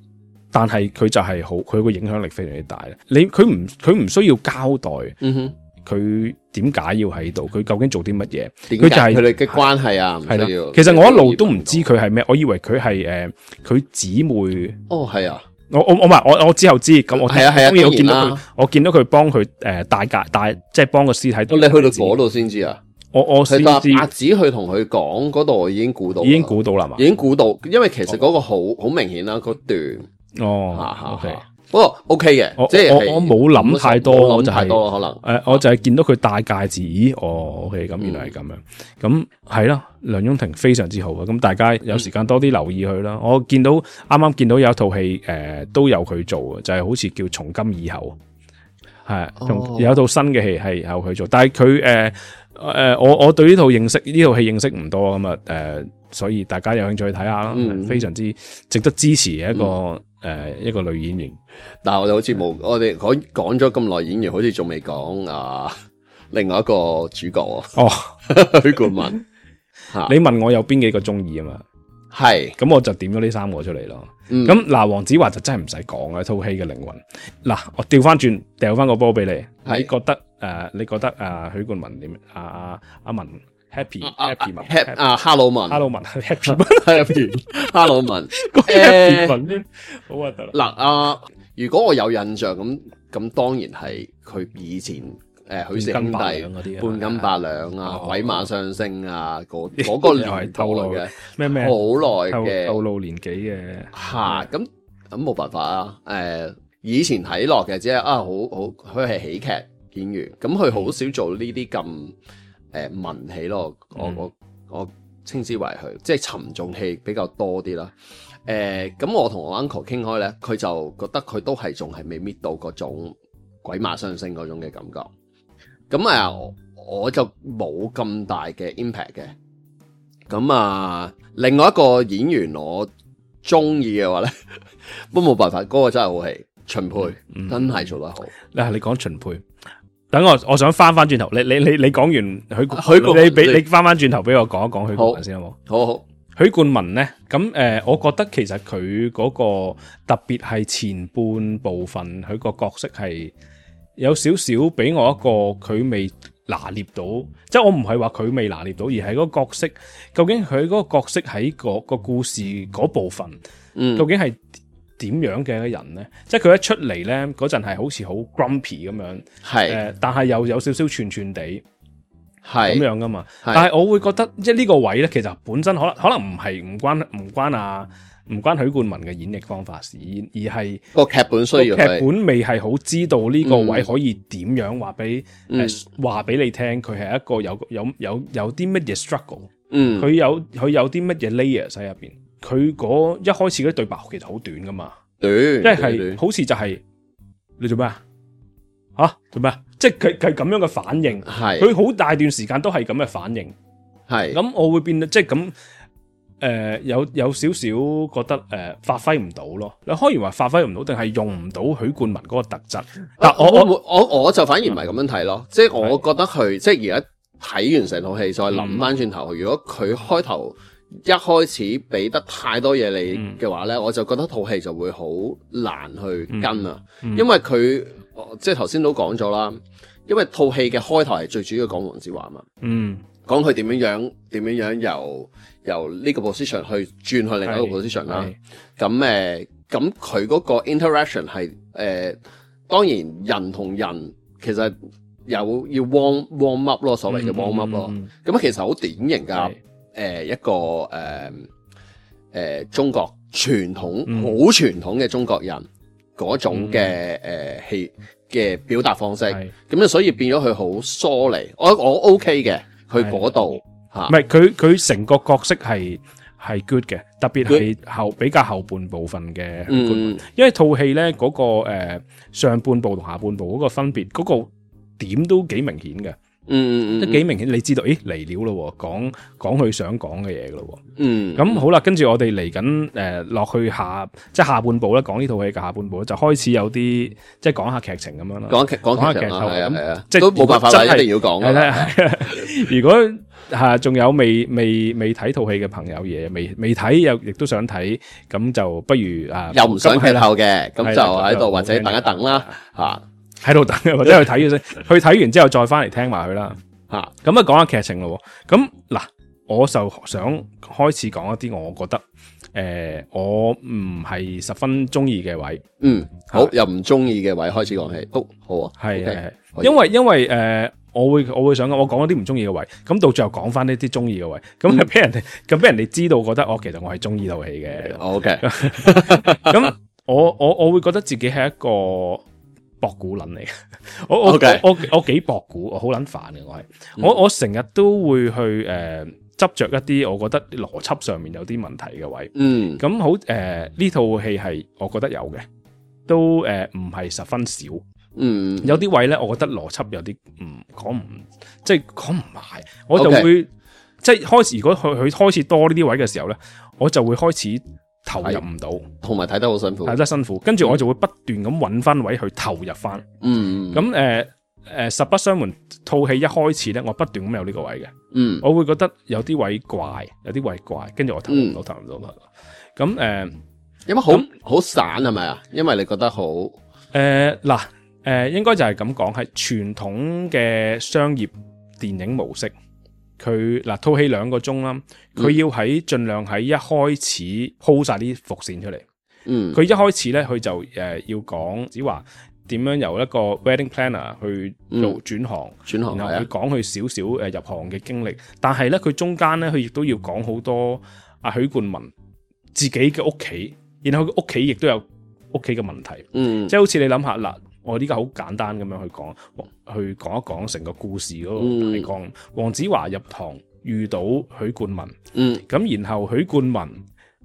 但係佢就係好，佢個影響力非常之大。你佢唔佢唔需要交代，嗯哼，佢點解要喺度？佢究竟做啲乜嘢？點佢就係解佢哋嘅關係啊？唔係啦需要。其實我一路都唔知佢係咩，我以為佢係誒佢姊妹。哦，係啊。我我我唔係我我之後知，咁我係啊係啊當然我見到佢當然啦，我見到佢幫佢誒帶架帶，即係幫個屍體。哦，你去到嗰度先知啊？我我先係知，白紙去同佢講嗰度，我已經估到啦，已經估到啦嘛已。經估到，因為其實嗰個好好明顯啦，嗰段哦嚇，OK，嚇。不過 OK 嘅我，即係我我冇諗太多，冇諗我就係太多可能。誒，我就係見到佢戴戒指，咦，哦，OK，咁原來係咁樣，咁係啦，梁雍婷非常之好啊，咁大家有時間多啲留意佢啦。我見到啱啱見到有一套戲誒都有佢做嘅，就係好似叫《從今以後》，係同有一套新嘅戲係有佢做，但係佢誒誒，我我對呢套認識呢套戲認識唔多咁啊，誒，所以大家有興趣睇下啦，嗯非常之值得支持嘅一個誒一個女演員。但係我哋好似冇，我哋講講咗咁耐演員，好似仲未講啊另外一個主角啊，哦，許冠文嚇，你問我有邊幾個中意啊嘛？係咁我就點咗呢三個出嚟咯。嗯咁嗱，黃子華就真係唔使講啦，套戲嘅靈魂。嗱，我調翻轉，掉翻個波俾你，係你覺得誒、呃？你覺得誒？許冠文點？阿阿阿文 happy 啊 happy 文 Hap 啊哈魯文 hello 文 happy 文 happy 哈魯文個 happy 文添，好核突啦。嗱啊！如果我有印象咁，咁當然係佢以前誒許氏兄弟半斤八兩嗰啲啊半斤八兩啊，哦鬼馬雙星啊，嗰嗰個又係年代透露嘅，咩咩好耐透嘅透露年紀嘅嚇，咁咁冇辦法啊！誒，以前睇落嘅只係啊，好好佢係喜劇演員，咁佢好少做呢啲咁誒文戲咯。我嗯我我稱之為佢即係沉重戲比較多啲啦。誒，咁我同我 uncle 傾開咧，佢就覺得佢都係仲係未搣到嗰種鬼馬雙星嗰種嘅感覺。咁啊，我就冇咁大嘅 impact 嘅。咁啊，另外一個演員我中意嘅話咧，都冇辦法，嗰、那個真係好戲，秦沛、嗯真係做得好。嗱，你講秦沛，等我我想翻翻轉頭，你你你你講完許冠許冠文你俾你你翻翻轉頭俾我講一講許冠文先好冇？好好，許冠文咧，咁誒、呃，我覺得其實佢嗰個特別係前半部分，佢個角色係有少少俾我一個佢未拿捏到，即係我唔係話佢未拿捏到，而係嗰個角色究竟佢嗰個角色喺個個故事嗰部分，嗯究竟係點樣嘅人咧？即係佢一出嚟咧嗰陣係好似好 grumpy 咁樣，誒、係呃，但係又有少少串串地。咁係樣噶嘛？係但係我會覺得，即係呢個位咧，其實本身可能可能唔係唔關唔關啊唔關許冠文嘅演繹方法事，而係個劇本需要劇佢本未係好知道呢個位可以點樣話俾嗯誒話俾你聽，佢係一個有有有有啲乜嘢 struggle，嗯佢有佢有啲乜嘢 layers 喺入邊，佢嗰一開始嗰啲對白其實好短噶嘛，短，即短係短好似就係你做咩啊？吓做咩啊？即係佢佢咁樣嘅反應，係佢好大段時間都係咁嘅反應。係咁我會變得即係咁誒，有有少少覺得誒、呃、發揮唔到咯。你可以話發揮唔到，定係用唔到許冠文嗰個特質？但我我我我我就反而唔係咁樣睇咯，即係我覺得佢即係而家睇完成套戲，再諗翻轉頭，如果佢開頭一開始俾得太多嘢你嘅話咧，我就覺得套戲就會好難去跟啊，因為佢即係頭先都講咗啦，因為套戲嘅開頭係最主要講黃子華嘛，嗯講佢點樣樣點樣樣由由呢個 position 去轉去另一個 position 啦。咁誒，咁佢嗰個 interaction 係誒、呃，當然人同人其實有要 warm warm up 咯，所謂嘅 warm up 咯。咁、嗯、其實好典型㗎，誒、呃、一個誒誒、呃呃、中國傳統好、嗯、傳統嘅中國人嗰種嘅誒戲嘅表達方式。咁啊，所以變咗佢好疏離。我我 OK 嘅。去嗰度嚇，唔係佢佢成個角色係係 good 嘅，特別係後比較後半部分嘅、嗯，因為套戲咧嗰個誒、呃、上半部同下半部嗰個分別，嗰、嗰個點都幾明顯嘅，嗯嗯都幾明顯，你知道，誒嚟料咯，講講佢想講嘅嘢噶咯，嗯，咁好啦，跟住我哋嚟緊誒落去下即係下半部咧，講呢套戲嘅下半部就開始有啲即係講下劇情咁樣啦，講劇講下劇情啦，係啊係啊，即係都冇辦法啦，一定要講係啦。如果嚇，仲有未未未睇套戲嘅朋友嘢，未未睇又亦都想睇，咁就不如啊，又唔想劇透嘅，咁就係啦喺度或者等一等啦，嚇喺度等，或者去睇咗先，去睇完之後再翻嚟聽埋佢啦。嚇，咁啊講下劇情咯喎，咁嗱，我就想開始講一啲我覺得誒、呃、我唔係十分中意嘅位，嗯，好，由唔中意嘅位開始講起，好，好啊，係 OK，係可以因為因為誒、呃、我會我會想我講一啲唔中意嘅位，咁到最後講翻呢啲中意嘅位，咁嗯係俾人哋咁俾人哋知道覺得我其實我係中意套戲嘅。 ，OK，咁我我我會覺得自己係一個博古撚嚟嘅，我我 Okay 我我我幾博古，我好撚煩嘅我係，我我成日都會去誒執着一啲我覺得邏輯上面有啲問題嘅位，嗯，咁好誒呢套戲係我覺得有嘅，都誒唔係十分少，嗯，有啲位咧我覺得邏輯有啲唔講唔即係講唔埋，我就 Okay 會即係開始如果佢佢開始多呢啲位嘅時候咧，我就會開始投入唔到。同埋睇得好辛苦，睇得辛苦，跟住我就會不斷咁揾翻位去投入翻。嗯，咁誒誒，實不相瞞，套戲一開始咧，我不斷咁有呢個位嘅，嗯，我會覺得有啲位怪，有啲位怪，跟住我投入唔到，投入唔到。咁誒因為好好散係咪啊？因為你覺得好，誒嗱誒，應該就係咁講，係傳統嘅商業電影模式。佢嗱套戲兩個鐘啦，佢要喺盡量喺一開始鋪晒啲伏線出嚟。嗯，佢一開始咧，佢就誒、呃、要講，只話點樣由一個 wedding planner 去做轉行，轉行係啊然後佢講佢少少誒入行嘅經歷。但係咧，佢中間咧，佢亦都要講好多阿許冠文自己嘅屋企，然後佢屋企亦都有屋企嘅問題。嗯，即係好似你諗下嗱，我呢家好簡單咁樣去講，去講一講成個故事嗰個大綱。黃子華入行遇到許冠文，嗯，咁然後許冠文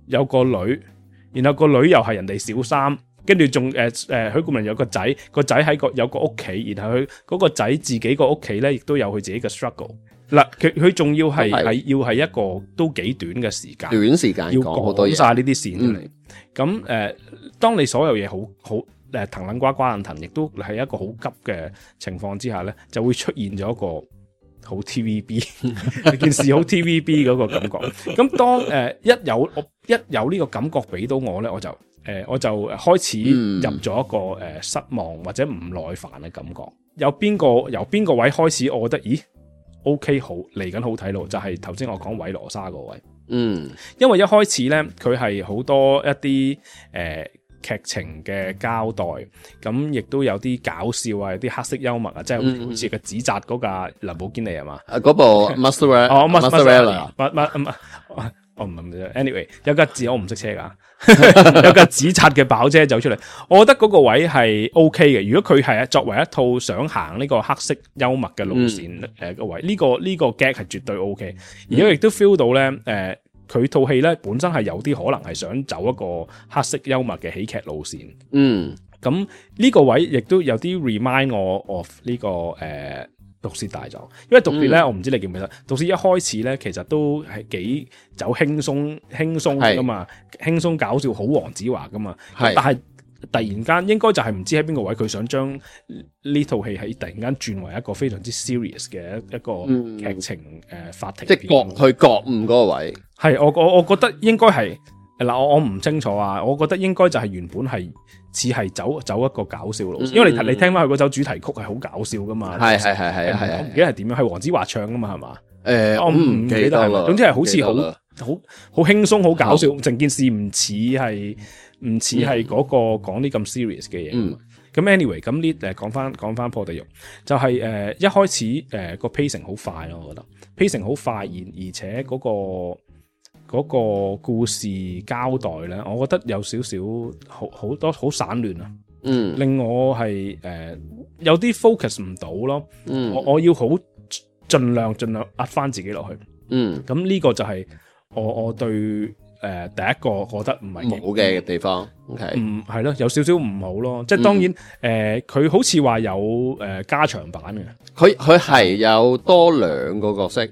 有個女。然後個女又係人哋小三，跟住仲誒誒許冠文有個仔，個仔喺個有個屋企，然後佢嗰個仔自己個屋企咧，亦都有佢自己嘅 struggle。嗱，佢佢仲要係係要係一個都幾短嘅時間，短時間要講好多嘢，講晒呢啲線出嚟。咁誒、呃，當你所有嘢好好誒騰撚瓜瓜撚騰，亦都係一個好急嘅情況之下咧，就會出現咗一個好 T V B 件事好 T V B 嗰個感覺。咁當誒、呃、一有我一有呢個感覺俾到我咧，我就誒、呃、我就開始入咗一個誒、呃、失望或者唔耐煩嘅感覺。有邊個由邊個位開始，我覺得咦 OK 好嚟緊好睇咯，就係頭先我講韋羅莎個位。嗯，因為一開始咧佢係好多一啲誒。呃劇情嘅交代，咁亦都有啲搞笑啊，有啲黑色幽默啊，即係好似個紙紮嗰架林寶堅尼係嘛？啊嗰部 Mozzarella，哦 Mozzarella，乜乜乜，我唔係，anyway 有架字我唔識車噶，有架紙紮嘅跑車走出嚟，我覺得嗰個位係 OK 嘅。如果佢係作為一套想行呢個黑色幽默嘅路線誒個位，呢個呢個 gag 係絕對 OK，而家亦都 feel 到咧誒。佢套戲咧本身係有啲可能係想走一個黑色幽默嘅喜劇路線，嗯，咁呢個位亦都有啲 remind 我 of 呢、這個誒、呃、毒舌大狀，因為毒舌咧、嗯、我唔知你記唔記得，毒舌一開始咧其實都係幾走輕鬆輕鬆噶嘛，輕鬆搞笑好黃子華噶嘛，但係突然間應該就係唔知喺邊個位佢想將呢套戲係突然間轉為一個非常之 serious 嘅一個劇情誒、嗯呃、法庭，即係覺去覺悟嗰個位。係我我我覺得應該係嗱，我我唔清楚啊，我覺得應該就係原本係似係走走一個搞笑路線、嗯，因為你你聽翻佢嗰首主題曲係好搞笑噶嘛，係係係係係，我唔記得係點樣，係黃子華唱噶嘛係嘛？誒、呃，我唔記得係嘛，總之係好似好好好輕鬆好搞笑，成件事唔似係唔似係嗰個講啲咁 serious 嘅嘢。嗯，咁 anyway 咁呢誒講翻講翻破地獄，就係、是、誒、呃、一開始誒個 pacing 好快咯，我覺得 pacing 好快，而而且嗰、那個。嗰、那個故事交代咧，我覺得有少少好好多好散亂啊，嗯，令我係誒、呃、有啲 focus 唔到咯，嗯，我我要好盡量盡量壓翻自己落去，嗯，咁呢個就係我我對誒、呃、第一個覺得唔係冇嘅地方 ，OK，唔係咯，有少少唔好咯，即係當然誒，佢、呃、好似話有誒、呃、加長版嘅，佢佢係有多兩個角色。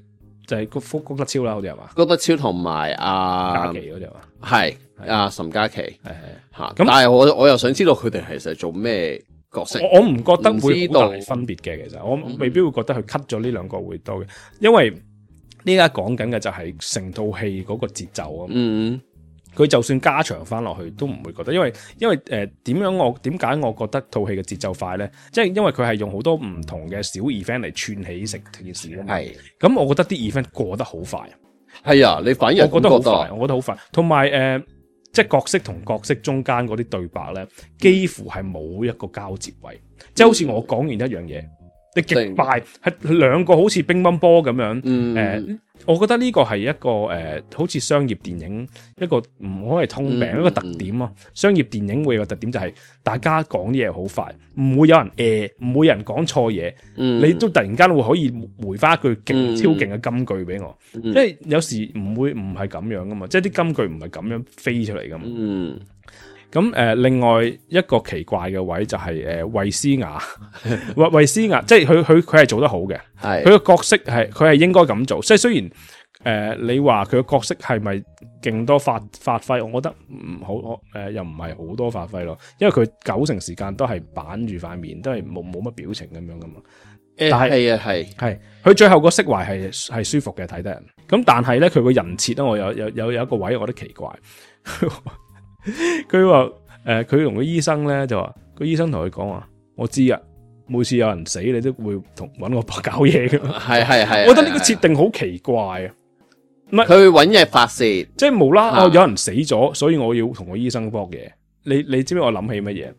就係谷谷德超啦，好似係嘛？谷德超同埋阿嘉琪嗰隻嘛？係阿岑嘉琪，係係嚇。咁但係我我又想知道佢哋其實做咩角色？我我唔覺得會好大分別嘅，其實我未必會覺得佢 cut 咗呢兩個會多嘅，因為呢家講緊嘅就係成套戲嗰個節奏啊。嗯，佢就算加長翻落去都唔會覺得，因為因為誒點樣我點解我覺得套戲嘅節奏快咧？即係因為佢係用好多唔同嘅小 event 嚟串起成件事啊嘛。係。咁我覺得啲 event 過得好快。係啊，你反而我覺得好覺快，我覺得好快。同埋誒，即係角色同角色中間嗰啲對白咧，幾乎係冇一個交接位，嗯、即係好似我講完一樣嘢，你極快係兩個好似乒乓波咁樣。嗯，誒、呃，我覺得呢個係一個誒、呃，好似商業電影一個唔可以通病、嗯、一個特點啊。商業電影會有個特點就係大家講啲嘢好快，唔會有人誒，唔會有人講錯嘢。嗯，你都突然間會可以回翻一句勁、嗯、超勁嘅金句俾我。嗯、即係有時唔會唔係咁樣噶嘛，即係啲金句唔係咁樣飛出嚟噶嘛。嗯。咁誒、呃，另外一個奇怪嘅位就係誒衛斯雅，衛衛斯雅，即係佢佢佢係做得好嘅，係佢個角色係佢係應該咁做。即係雖然誒、呃，你話佢個角色係咪勁多發發揮？我覺得唔好，誒、呃、又唔係好多發揮咯。因為佢九成時間都係板住塊面，都係冇冇乜表情咁樣噶嘛。誒係啊係係，佢最後個釋懷係係舒服嘅，睇得人。咁但係咧，佢個人設咧，我有有有有一個位我覺得奇怪。佢話誒，佢同個醫生咧就話，個醫生同佢講話，我知啊，每次有人死你都會同搵我搞嘢嘅。係係係，我覺得呢個設定好奇怪啊！唔係佢搵嘢發泄，即係無啦啦有人死咗，所以我要同個醫生搏嘢。你你知唔知我諗起乜嘢？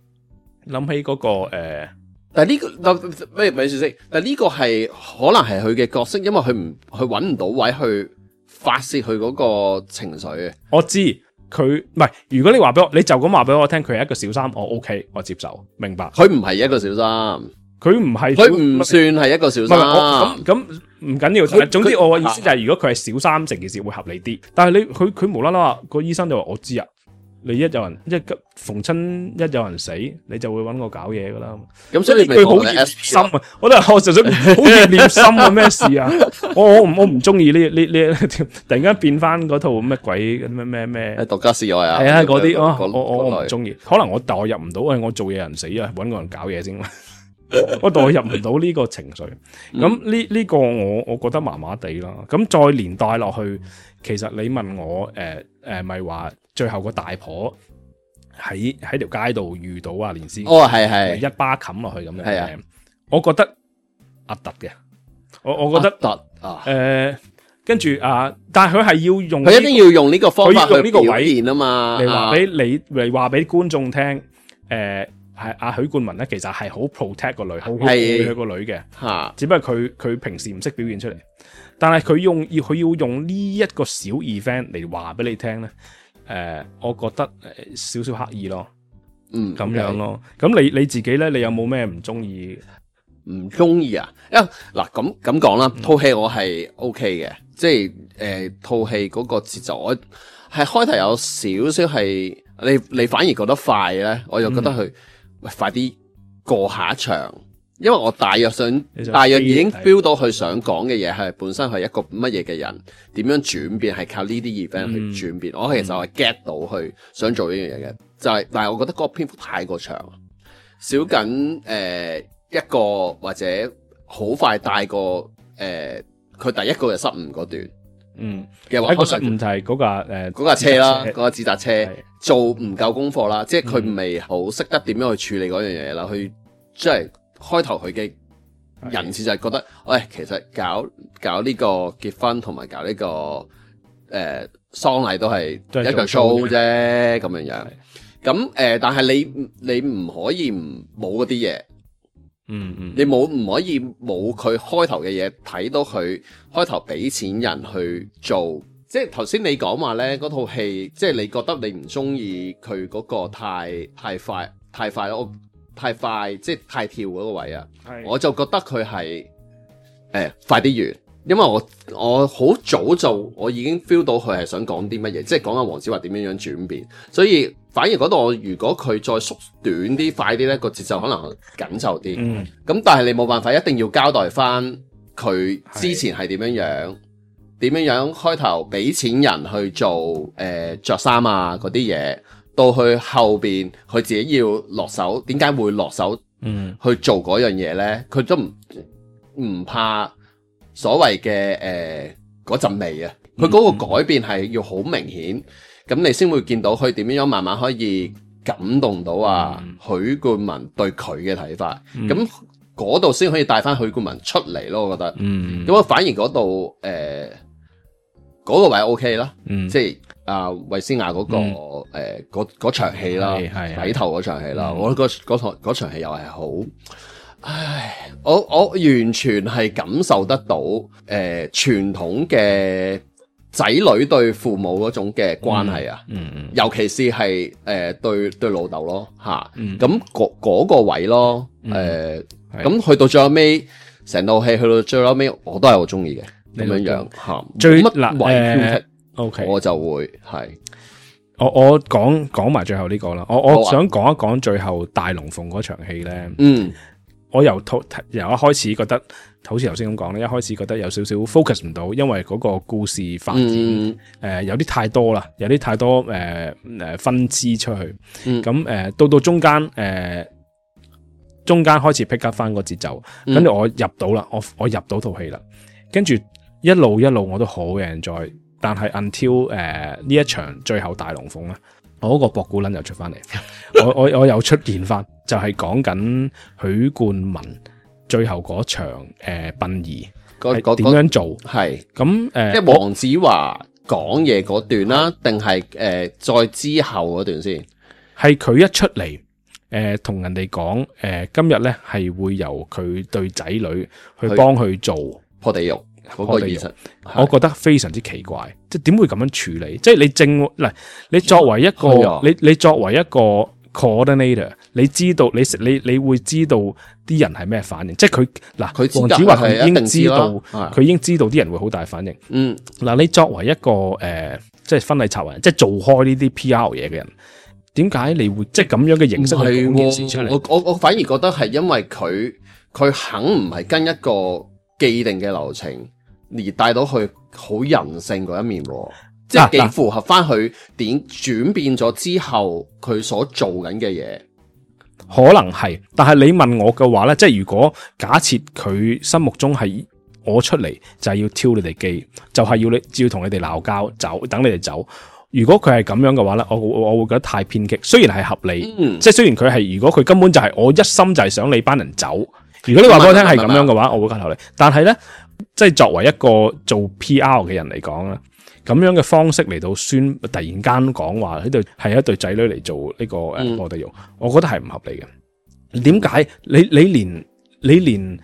諗起嗰、嗰個誒、呃，但係呢、呢個咩咪住先？但係呢個係可能係佢嘅角色，因為佢唔佢搵唔到位去發泄佢嗰個情緒嘅。我知。佢唔係，如果你話俾我，你就咁話俾我聽，佢係一個小三，我 OK，我接受，明白。佢唔係一個小三，佢唔係，佢唔算係一個小三。咁咁唔緊要，但係總之我嘅意思就係，如果佢係小三，成件事會合理啲。但係你佢佢無啦啦話個醫生就話我知啊。你一有人一逢親一有人死，你就會揾我搞嘢噶啦。咁所以佢好熱心啊！我都係我就想好熱念心啊！咩事啊？我我唔我唔中意呢呢呢，突然間變翻嗰套乜鬼咩咩咩？獨家試愛啊！係啊，嗰啲我我我唔中意。可能我代入唔到，我做嘢人死啊，揾個人搞嘢先。我代入唔到呢個情緒。咁呢呢個我我覺得麻麻地啦。咁再連帶落去，其實你問我誒誒，咪、呃、話？呃最後個大婆喺喺條街度遇到阿連詩，哦係係一巴冚落去咁樣，係啊，我覺得壓突嘅，我我覺得突啊，誒，跟住啊，但係佢係要用，佢一定要用呢個方法去呢個位現啊嘛，嚟話俾你嚟話俾觀眾聽，誒係阿許冠文咧，其實係好 protect 個女，好好愛佢個女嘅，吓，只不過佢佢平時唔識表現出嚟，但係佢用要佢要用呢一個小 event 嚟話俾你聽咧。誒、呃，我覺得誒少少刻意咯，嗯，咁樣咯。咁、okay. 你你自己咧，你有冇咩唔中意？唔中意啊？因為嗱咁咁講啦，套戲我係 O K 嘅，即係誒套戲嗰個節奏，我係開頭有少少係你你反而覺得快咧，我又覺得佢、嗯、喂快啲過下一場。因為我大約想，大約已經 feel 到佢想講嘅嘢係本身係一個乜嘢嘅人，點樣轉變係靠呢啲 event 去轉變。嗯、我其實係 get 到佢想做呢樣嘢嘅，就係、是，但係我覺得嗰個篇幅太過長，少緊誒、呃、一個或者好快帶過誒佢第一個嘅失誤嗰段。嗯，嘅話，一個失誤就係嗰架誒嗰架車啦，嗰架自殺車做唔夠功課啦，即係佢未好識得點樣去處理嗰樣嘢啦，去即係。開頭佢嘅人設就係覺得，喂，其實搞搞呢個結婚同埋搞呢、這個誒喪禮都係一個 show 啫，咁樣樣。咁誒、呃，但係你你唔可以唔冇嗰啲嘢，嗯嗯，你冇唔可以冇佢開頭嘅嘢，睇到佢開頭俾錢人去做，即係頭先你講話咧，嗰套戲，即係你覺得你唔中意佢嗰個太太快太快咯。太快，即係太跳嗰個位啊！我就覺得佢係誒快啲完，因為我我好早就我已經 feel 到佢係想講啲乜嘢，即係講緊黃子華點樣樣轉變，所以反而嗰度我如果佢再縮短啲、快啲咧，個節奏可能緊湊啲。嗯，咁但係你冇辦法，一定要交代翻佢之前係點樣樣，點樣樣開頭俾錢人去做誒着衫啊嗰啲嘢。到去後邊，佢自己要落手，點解會落手？嗯，去做嗰樣嘢咧？佢都唔唔怕所謂嘅誒嗰陣味啊，佢嗰個改變係要好明顯，咁你先會見到佢點樣慢慢可以感動到啊許冠文對佢嘅睇法，咁嗰度先可以帶翻許冠文出嚟咯，我覺得，咁我反而嗰度誒嗰個位 O K 啦，即係阿衛詩雅嗰個誒嗰嗰場戲啦，底頭嗰場戲啦，我覺得嗰嗰嗰場戲又係好。唉，我我完全係感受得到，誒、呃，傳統嘅仔女對父母嗰種嘅關係啊，嗯嗯，尤其是係誒、呃、對對老豆咯，吓、啊，咁嗰嗰個位咯，誒、呃，咁、嗯、去到最後尾，成套戲去到最後尾，我都係好中意嘅，咁樣樣吓，最乜位挑剔 ，OK，我就會係，我我講講埋最後呢個啦，我我想講一講最後大龍鳳嗰場戲咧，嗯。我由套由一開始覺得，好似頭先咁講咧，一開始覺得有少少 focus 唔到，因為嗰個故事發展誒、嗯呃、有啲太多啦，有啲太多誒誒、呃、分支出去。咁誒、嗯呃、到到中間誒、呃、中間開始 pick up 翻個節奏，跟住、嗯、我入到啦，我我入到套戲啦，跟住一路一路我都好 enjoy，但係 until 誒、呃、呢一場最後大龍鳳咧。我嗰個博古撚又出翻嚟，我我我又出現翻，就係講緊許冠文最後嗰場誒殯儀係點樣做？係咁誒，即係黃子華講嘢嗰段啦，定係誒再之後嗰段先？係佢一出嚟誒同人哋講誒，今日咧係會由佢對仔女去幫佢做破地獄。嗰個儀式，我覺得非常之奇怪，即係點會咁樣處理？即係你正嗱，你作為一個，啊、你你作為一個 coordinator，你知道你你你會知道啲人係咩反應？即係佢嗱，佢黃子華佢已經知道，佢已經知道啲人會好大反應。嗯，嗱，你作為一個誒、呃，即係婚禮策劃人，即係做開呢啲 P R 嘢嘅人，點解你會即係咁樣嘅形式去講件事出嚟？我我我反而覺得係因為佢佢肯唔係跟一個既定嘅流程。而帶到佢好人性嗰一面，即係幾符合翻佢點轉變咗之後佢所做緊嘅嘢，可能係。但係你問我嘅話咧，即係如果假設佢心目中係我出嚟就係要挑你哋機，就係、是、要你要同你哋鬧交走，等你哋走。如果佢係咁樣嘅話咧，我我我會覺得太偏激。雖然係合理，嗯、即係雖然佢係如果佢根本就係我一心就係想你班人走。如果你話俾我聽係咁樣嘅話，我會加頭你。但係咧。即係作為一個做 P R 嘅人嚟講咧，咁樣嘅方式嚟到宣突然間講話呢對係一對仔女嚟做呢個誒破地獄，我覺得係唔合理嘅。點解你你連你連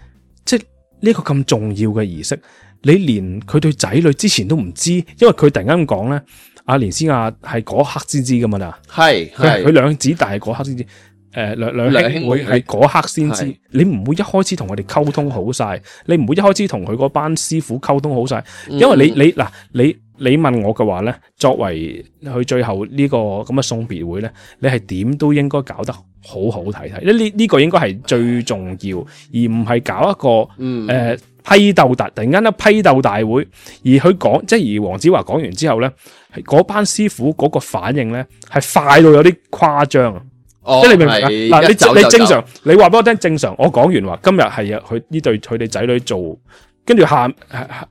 即係呢個咁重要嘅儀式，你連佢對仔女之前都唔知，因為佢突然間咁講咧，阿連詩雅係嗰刻先知噶嘛啦，係係佢兩子大係嗰刻先知。誒，兩兩兄妹係嗰刻先知，你唔會一開始同佢哋溝通好晒，你唔會一開始同佢嗰班師傅溝通好晒，因為你你嗱你你問我嘅話咧，作為佢最後呢個咁嘅送別會咧，你係點都應該搞得好好睇睇，呢呢個應該係最重要，而唔係搞一個誒、嗯呃、批鬥大，突然間一批鬥大會，而佢講即係而黃子華講完之後咧，係嗰班師傅嗰個反應咧係快到有啲誇張。哦、即係你明唔明啊？嗱，你你正常，你話俾我聽正常。我講完話，今日係佢呢對佢哋仔女做，跟住下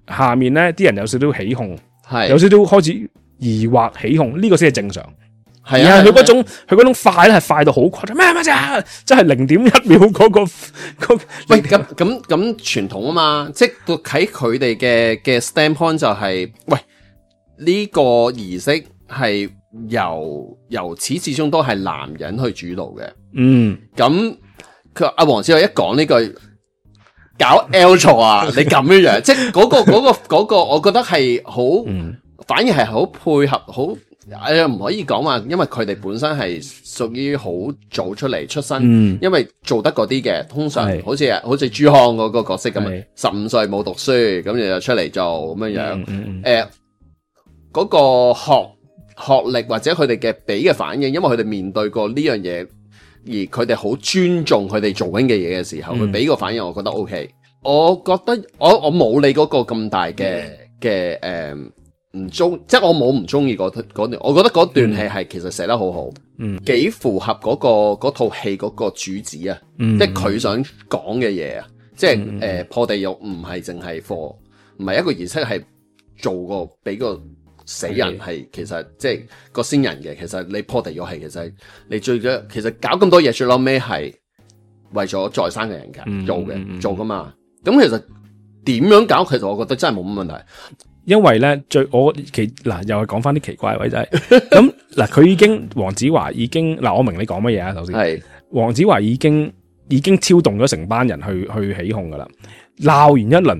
下面咧啲人有少少起哄，係有少少開始疑惑起哄，呢、這個先係正常。係啊，佢嗰種佢嗰種快咧係快到好誇張，咩咩啫？即係零點一秒嗰、那個、那個、喂咁咁咁傳統啊嘛，即係喺佢哋嘅嘅 standpoint 就係、是、喂呢、這個儀式係。由由始至終都係男人去主導嘅，嗯，咁佢阿黃子華一講呢句搞 L 錯啊，你咁樣樣，即係嗰個嗰個嗰個，我覺得係好，嗯、反而係好配合，好誒唔可以講話，因為佢哋本身係屬於好早出嚟出身，嗯、因為做得嗰啲嘅，通常好似好似朱康嗰個角色咁啊，十五歲冇讀書，咁就出嚟做咁樣樣，誒、嗯，嗰、嗯呃嗰個學。學歷或者佢哋嘅俾嘅反應，因為佢哋面對過呢樣嘢，而佢哋好尊重佢哋做緊嘅嘢嘅時候，佢俾個反應，我覺得 OK。我覺得我我冇你嗰個咁大嘅嘅誒唔中，即係我冇唔中意嗰嗰段。我覺得嗰段戲係其實寫得好好，嗯，幾符合嗰、嗰個嗰套戲嗰個主旨啊，嗯、即係佢想講嘅嘢啊，即係誒、嗯呃、破地獄唔係淨係課，唔係一個儀式係。做個俾個死人係其實即係個先人嘅，其實你破地獄係其實你最嘅，其實搞咁多嘢最撈尾係為咗在生嘅人㗎、嗯、做嘅、嗯、做噶嘛。咁其實點樣搞？其實我覺得真係冇乜問題。因為咧最我奇嗱又係講翻啲奇怪嘅位就係咁嗱，佢已經黃子華已經嗱，我明你講乜嘢啊？首先係黃子華已經已經挑動咗成班人去去起哄噶啦，鬧完一輪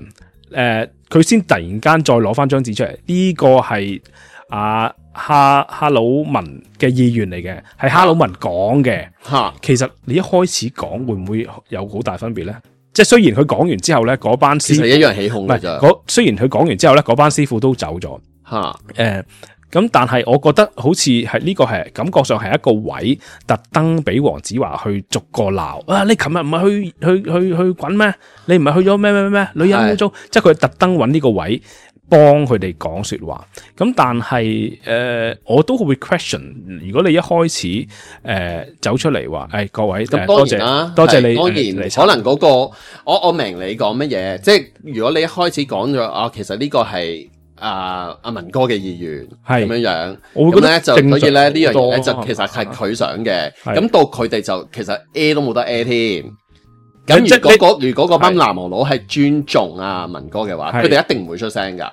誒，佢、呃、先突然間再攞翻張紙出嚟，呢、這個係阿哈哈魯文嘅意願嚟嘅，係哈魯文講嘅吓。其實你一開始講會唔會有好大分別咧？即係雖然佢講完之後咧，嗰班師傅其實一樣起哄嘅咋。雖然佢講完之後咧，嗰班師傅都走咗吓。誒、呃，咁但係我覺得好似係呢個係感覺上係一個位，特登俾黃子華去逐個鬧啊！你琴日唔係去去去去滾咩？你唔係去咗咩咩咩咩？女人污糟，即係佢特登揾呢個位幫佢哋講說話。咁但係誒、呃，我都會 question。如果你一開始誒、呃、走出嚟話，誒、哎、各位咁多謝啦，多謝你。當然可能嗰、那個我我明你講乜嘢，即係如果你一開始講咗啊，其實呢個係啊阿文哥嘅意願係咁樣樣，我會覺得咧就所以咧呢樣嘢咧就其實係佢想嘅。咁到佢哋就其實 A 都冇得 A 添。咁如果嗰如果嗰班南無佬係尊重啊文哥嘅話，佢哋一定唔會出聲噶。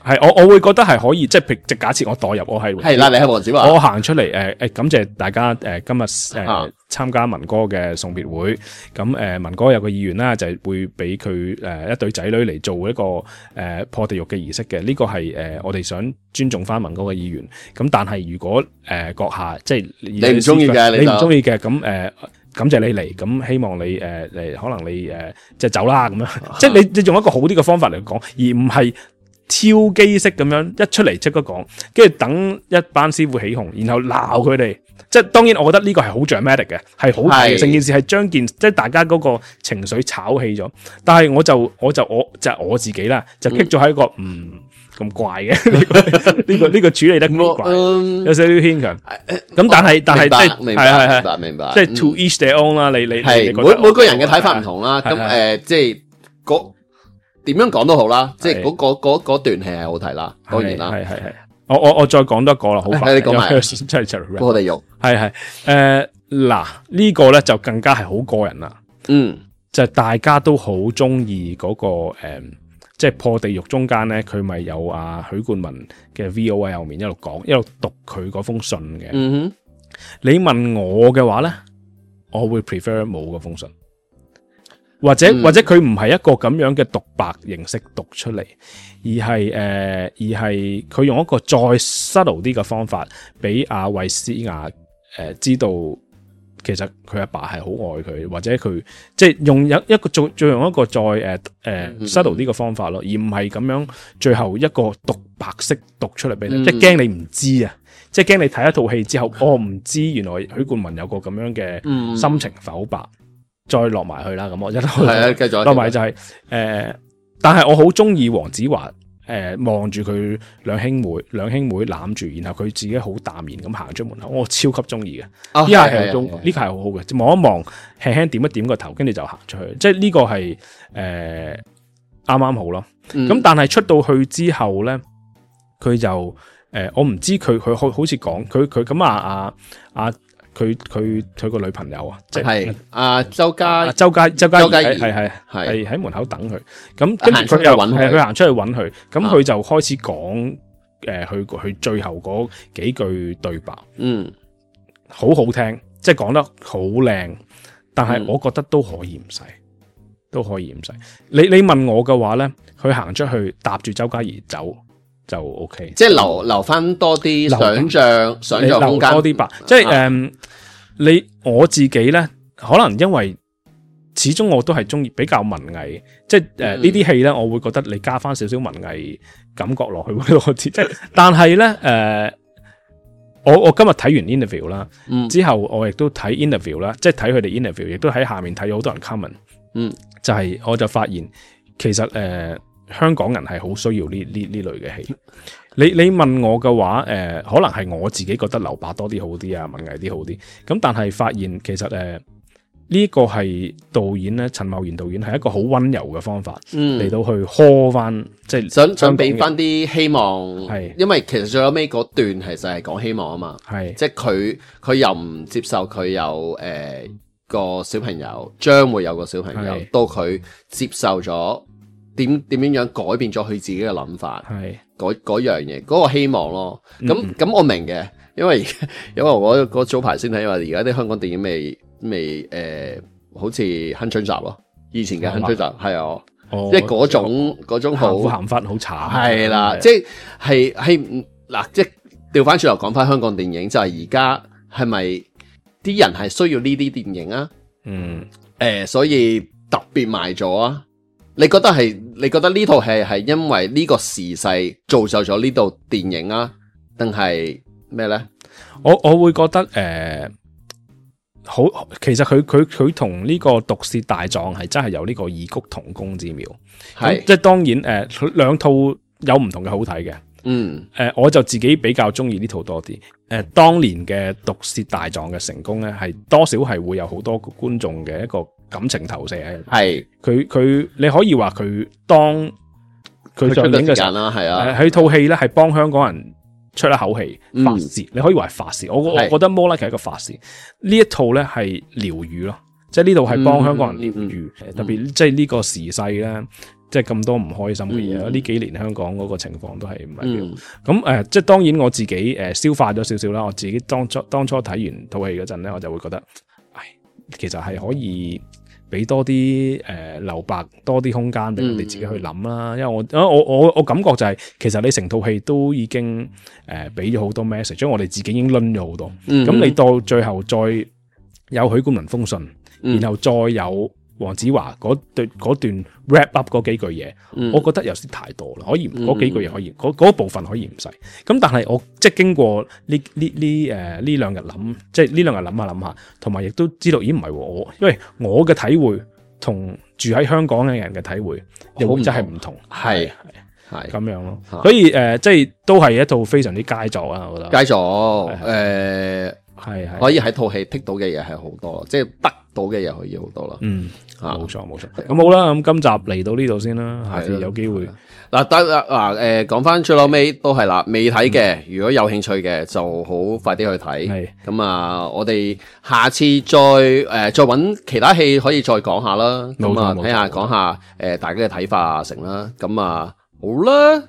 係我我會覺得係可以，即係譬如假設我代入我係係啦，你係黃子華，我行出嚟誒誒，感謝大家誒、呃、今日誒參加文哥嘅送別會。咁誒、呃、文哥有個意願啦，就係、是、會俾佢誒一對仔女嚟做一個誒、呃、破地獄嘅儀式嘅。呢、這個係誒、呃、我哋想尊重翻文哥嘅意願。咁但係如果誒閣、呃、下即係你唔中意嘅，你唔中意嘅咁誒。感謝你嚟，咁希望你誒誒、呃，可能你誒、呃、即係走啦咁樣，即係你你用一個好啲嘅方法嚟講，而唔係超機式咁樣一出嚟即刻講，跟住等一班師傅起哄，然後鬧佢哋。即係當然，我覺得呢個係好 dramatic 嘅，係好大嘅，成件事係將件即係大家嗰個情緒炒起咗。但係我就我就我就係、我自己啦，就棘咗喺一個嗯。咁怪嘅呢、這個呢、這個呢、這個處理得咁怪，嗯、有少少牽強。咁但係但係即係係係係明白，即係 to each their own 啦。你你係每每個人嘅睇法唔同啦。咁誒，即係嗰點樣講都好啦。即係嗰嗰嗰段戲係好睇啦。當然啦，係係係。我我我再講多一個啦，好快。你講埋，真係破地獄。係係誒嗱呢個咧就更加係好個人啦。嗯，就係大家都好中意嗰個誒。嗯即係破地獄中間咧，佢咪有阿許冠文嘅 V O 喺後面一路講，一路讀佢嗰封信嘅。嗯哼，你問我嘅話咧，我會 prefer 冇嗰封信，或者、嗯、或者佢唔係一個咁樣嘅獨白形式讀出嚟，而係誒、呃、而係佢用一個再 subtle 啲嘅方法，俾阿衛詩雅誒知道。其實佢阿爸係好愛佢，或者佢即係用一一個再再用一個再誒誒 subtle 啲嘅方法咯，而唔係咁樣最後一個獨白式讀出嚟俾你，嗯、即係驚你唔知啊，即係驚你睇一套戲之後，我、哦、唔知原來許冠文有個咁樣嘅心情剖白，嗯、再落埋去啦。咁我一係啊，繼續落埋就係、是、誒、呃，但係我好中意黃子華。誒，望住佢兩兄妹，兩兄妹攬住，然後佢自己好淡然咁行出門口，我超級中意嘅。呢下係中，呢下係好好嘅。望一望，輕輕點一點個頭，跟住就行出去。即係呢個係誒啱啱好咯。咁、嗯、但係出到去之後咧，佢就誒、呃，我唔知佢佢好好似講佢佢咁啊啊啊！佢佢佢個女朋友啊，即係阿周家周家周家係係係係喺門口等佢，咁跟住佢又係佢行出去揾佢，咁佢就開始講誒，佢佢最後嗰幾句對白，嗯，好好聽，即係講得好靚，但係我覺得都可以唔使，都可以唔使。你你問我嘅話咧，佢行出去搭住周家怡走。就 OK，即係留留翻多啲想象想象空間，多啲吧。即係誒、啊嗯，你我自己咧，可能因為始終我都係中意比較文藝，即係誒、呃嗯、呢啲戲咧，我會覺得你加翻少少文藝感覺落去會多啲。即係，但係咧誒，我我今日睇完 interview 啦、嗯，之後我亦都睇 interview 啦，即係睇佢哋 interview，亦都喺下面睇咗好多人 comment，嗯，就係、是、我就發現其實誒。呃香港人係好需要呢呢呢類嘅戲。你你問我嘅話，誒、呃，可能係我自己覺得留白多啲好啲啊，文藝啲好啲。咁但係發現其實誒、呃，呢個係導演咧，陳茂賢導演係一個好溫柔嘅方法嚟、嗯、到去呵翻，即係想想俾翻啲希望，係因為其實最後尾嗰段其實係講希望啊嘛，係即係佢佢又唔接受佢有誒、呃、個小朋友將會有個小朋友，係到佢接受咗點點樣樣改變咗佢自己嘅諗法，係嗰嗰樣嘢嗰、嗰個希望咯。咁咁、嗯、我明嘅，因為因為我嗰早排先睇，因為而家啲香港電影未。未誒、呃，好似鏗鏘集咯，以前嘅鏗鏘集係啊，哦、即係嗰種嗰種好好鹹忽好慘，係啦，即係係係嗱，即係調翻轉頭講翻香港電影，就係而家係咪啲人係需要呢啲電影啊？嗯，誒、呃，所以特別賣咗啊？你覺得係？你覺得呢套戲係因為呢個時勢造就咗呢套電影啊？定係咩咧？我我會覺得誒。呃好，其實佢佢佢同呢個毒舌大狀係真係有呢個異曲同工之妙，係即係當然誒，佢、呃、兩套有唔同嘅好睇嘅，嗯，誒、呃，我就自己比較中意呢套多啲，誒、呃，當年嘅毒舌大狀嘅成功咧，係多少係會有好多觀眾嘅一個感情投射喺，係佢佢你可以話佢當佢上映嘅時間啦，係啊，佢套戲咧係幫香港人出一口氣發泄、嗯，你可以話係發泄。我我覺得 more like 係一個發泄。呢一套咧係療愈咯，即係呢度係幫香港人療愈、嗯嗯，特別即係呢個時勢咧，即係咁多唔開心嘅嘢。呢、嗯、幾年香港嗰個情況都係唔係咁咁誒，即係當然我自己誒、呃、消化咗少少啦。我自己當初當初睇完套戲嗰陣咧，我就會覺得，唉，其實係可以俾多啲誒、呃、留白，多啲空間俾我哋自己去諗啦、嗯。因為我我我我感覺就係、是，其實你成套戲都已經誒俾咗好多 message，將我哋自己已經掄咗好多。咁、嗯、你到最後再有許冠文封信、嗯，然後再有黃子華嗰段嗰段 wrap up 嗰幾句嘢、嗯，我覺得有啲太多啦。可以嗰、嗯、幾句嘢可以，嗰嗰部分可以唔使。咁但係我即係經過呢呢呢誒呢兩日諗，即係呢兩日諗下諗下，同埋亦都知道，咦唔係我，因為我嘅體會同住喺香港嘅人嘅體會又真係唔同，係係咁樣咯。所以誒、呃，即係都係一套非常之佳作啊！我覺得佳作誒係係可以喺套戲剔到嘅嘢係好多，即係得到嘅嘢可以好多啦。嗯。冇錯冇錯，咁好啦，咁今集嚟到呢度先啦，下次有機會嗱得啦嗱誒，講翻最後尾都係啦，未睇嘅如果有興趣嘅就好快啲去睇，係咁啊，我哋下次再誒、呃、再揾其他戲可以再講下啦，咁啊睇下講下誒大家嘅睇法啊成啦，咁啊好啦。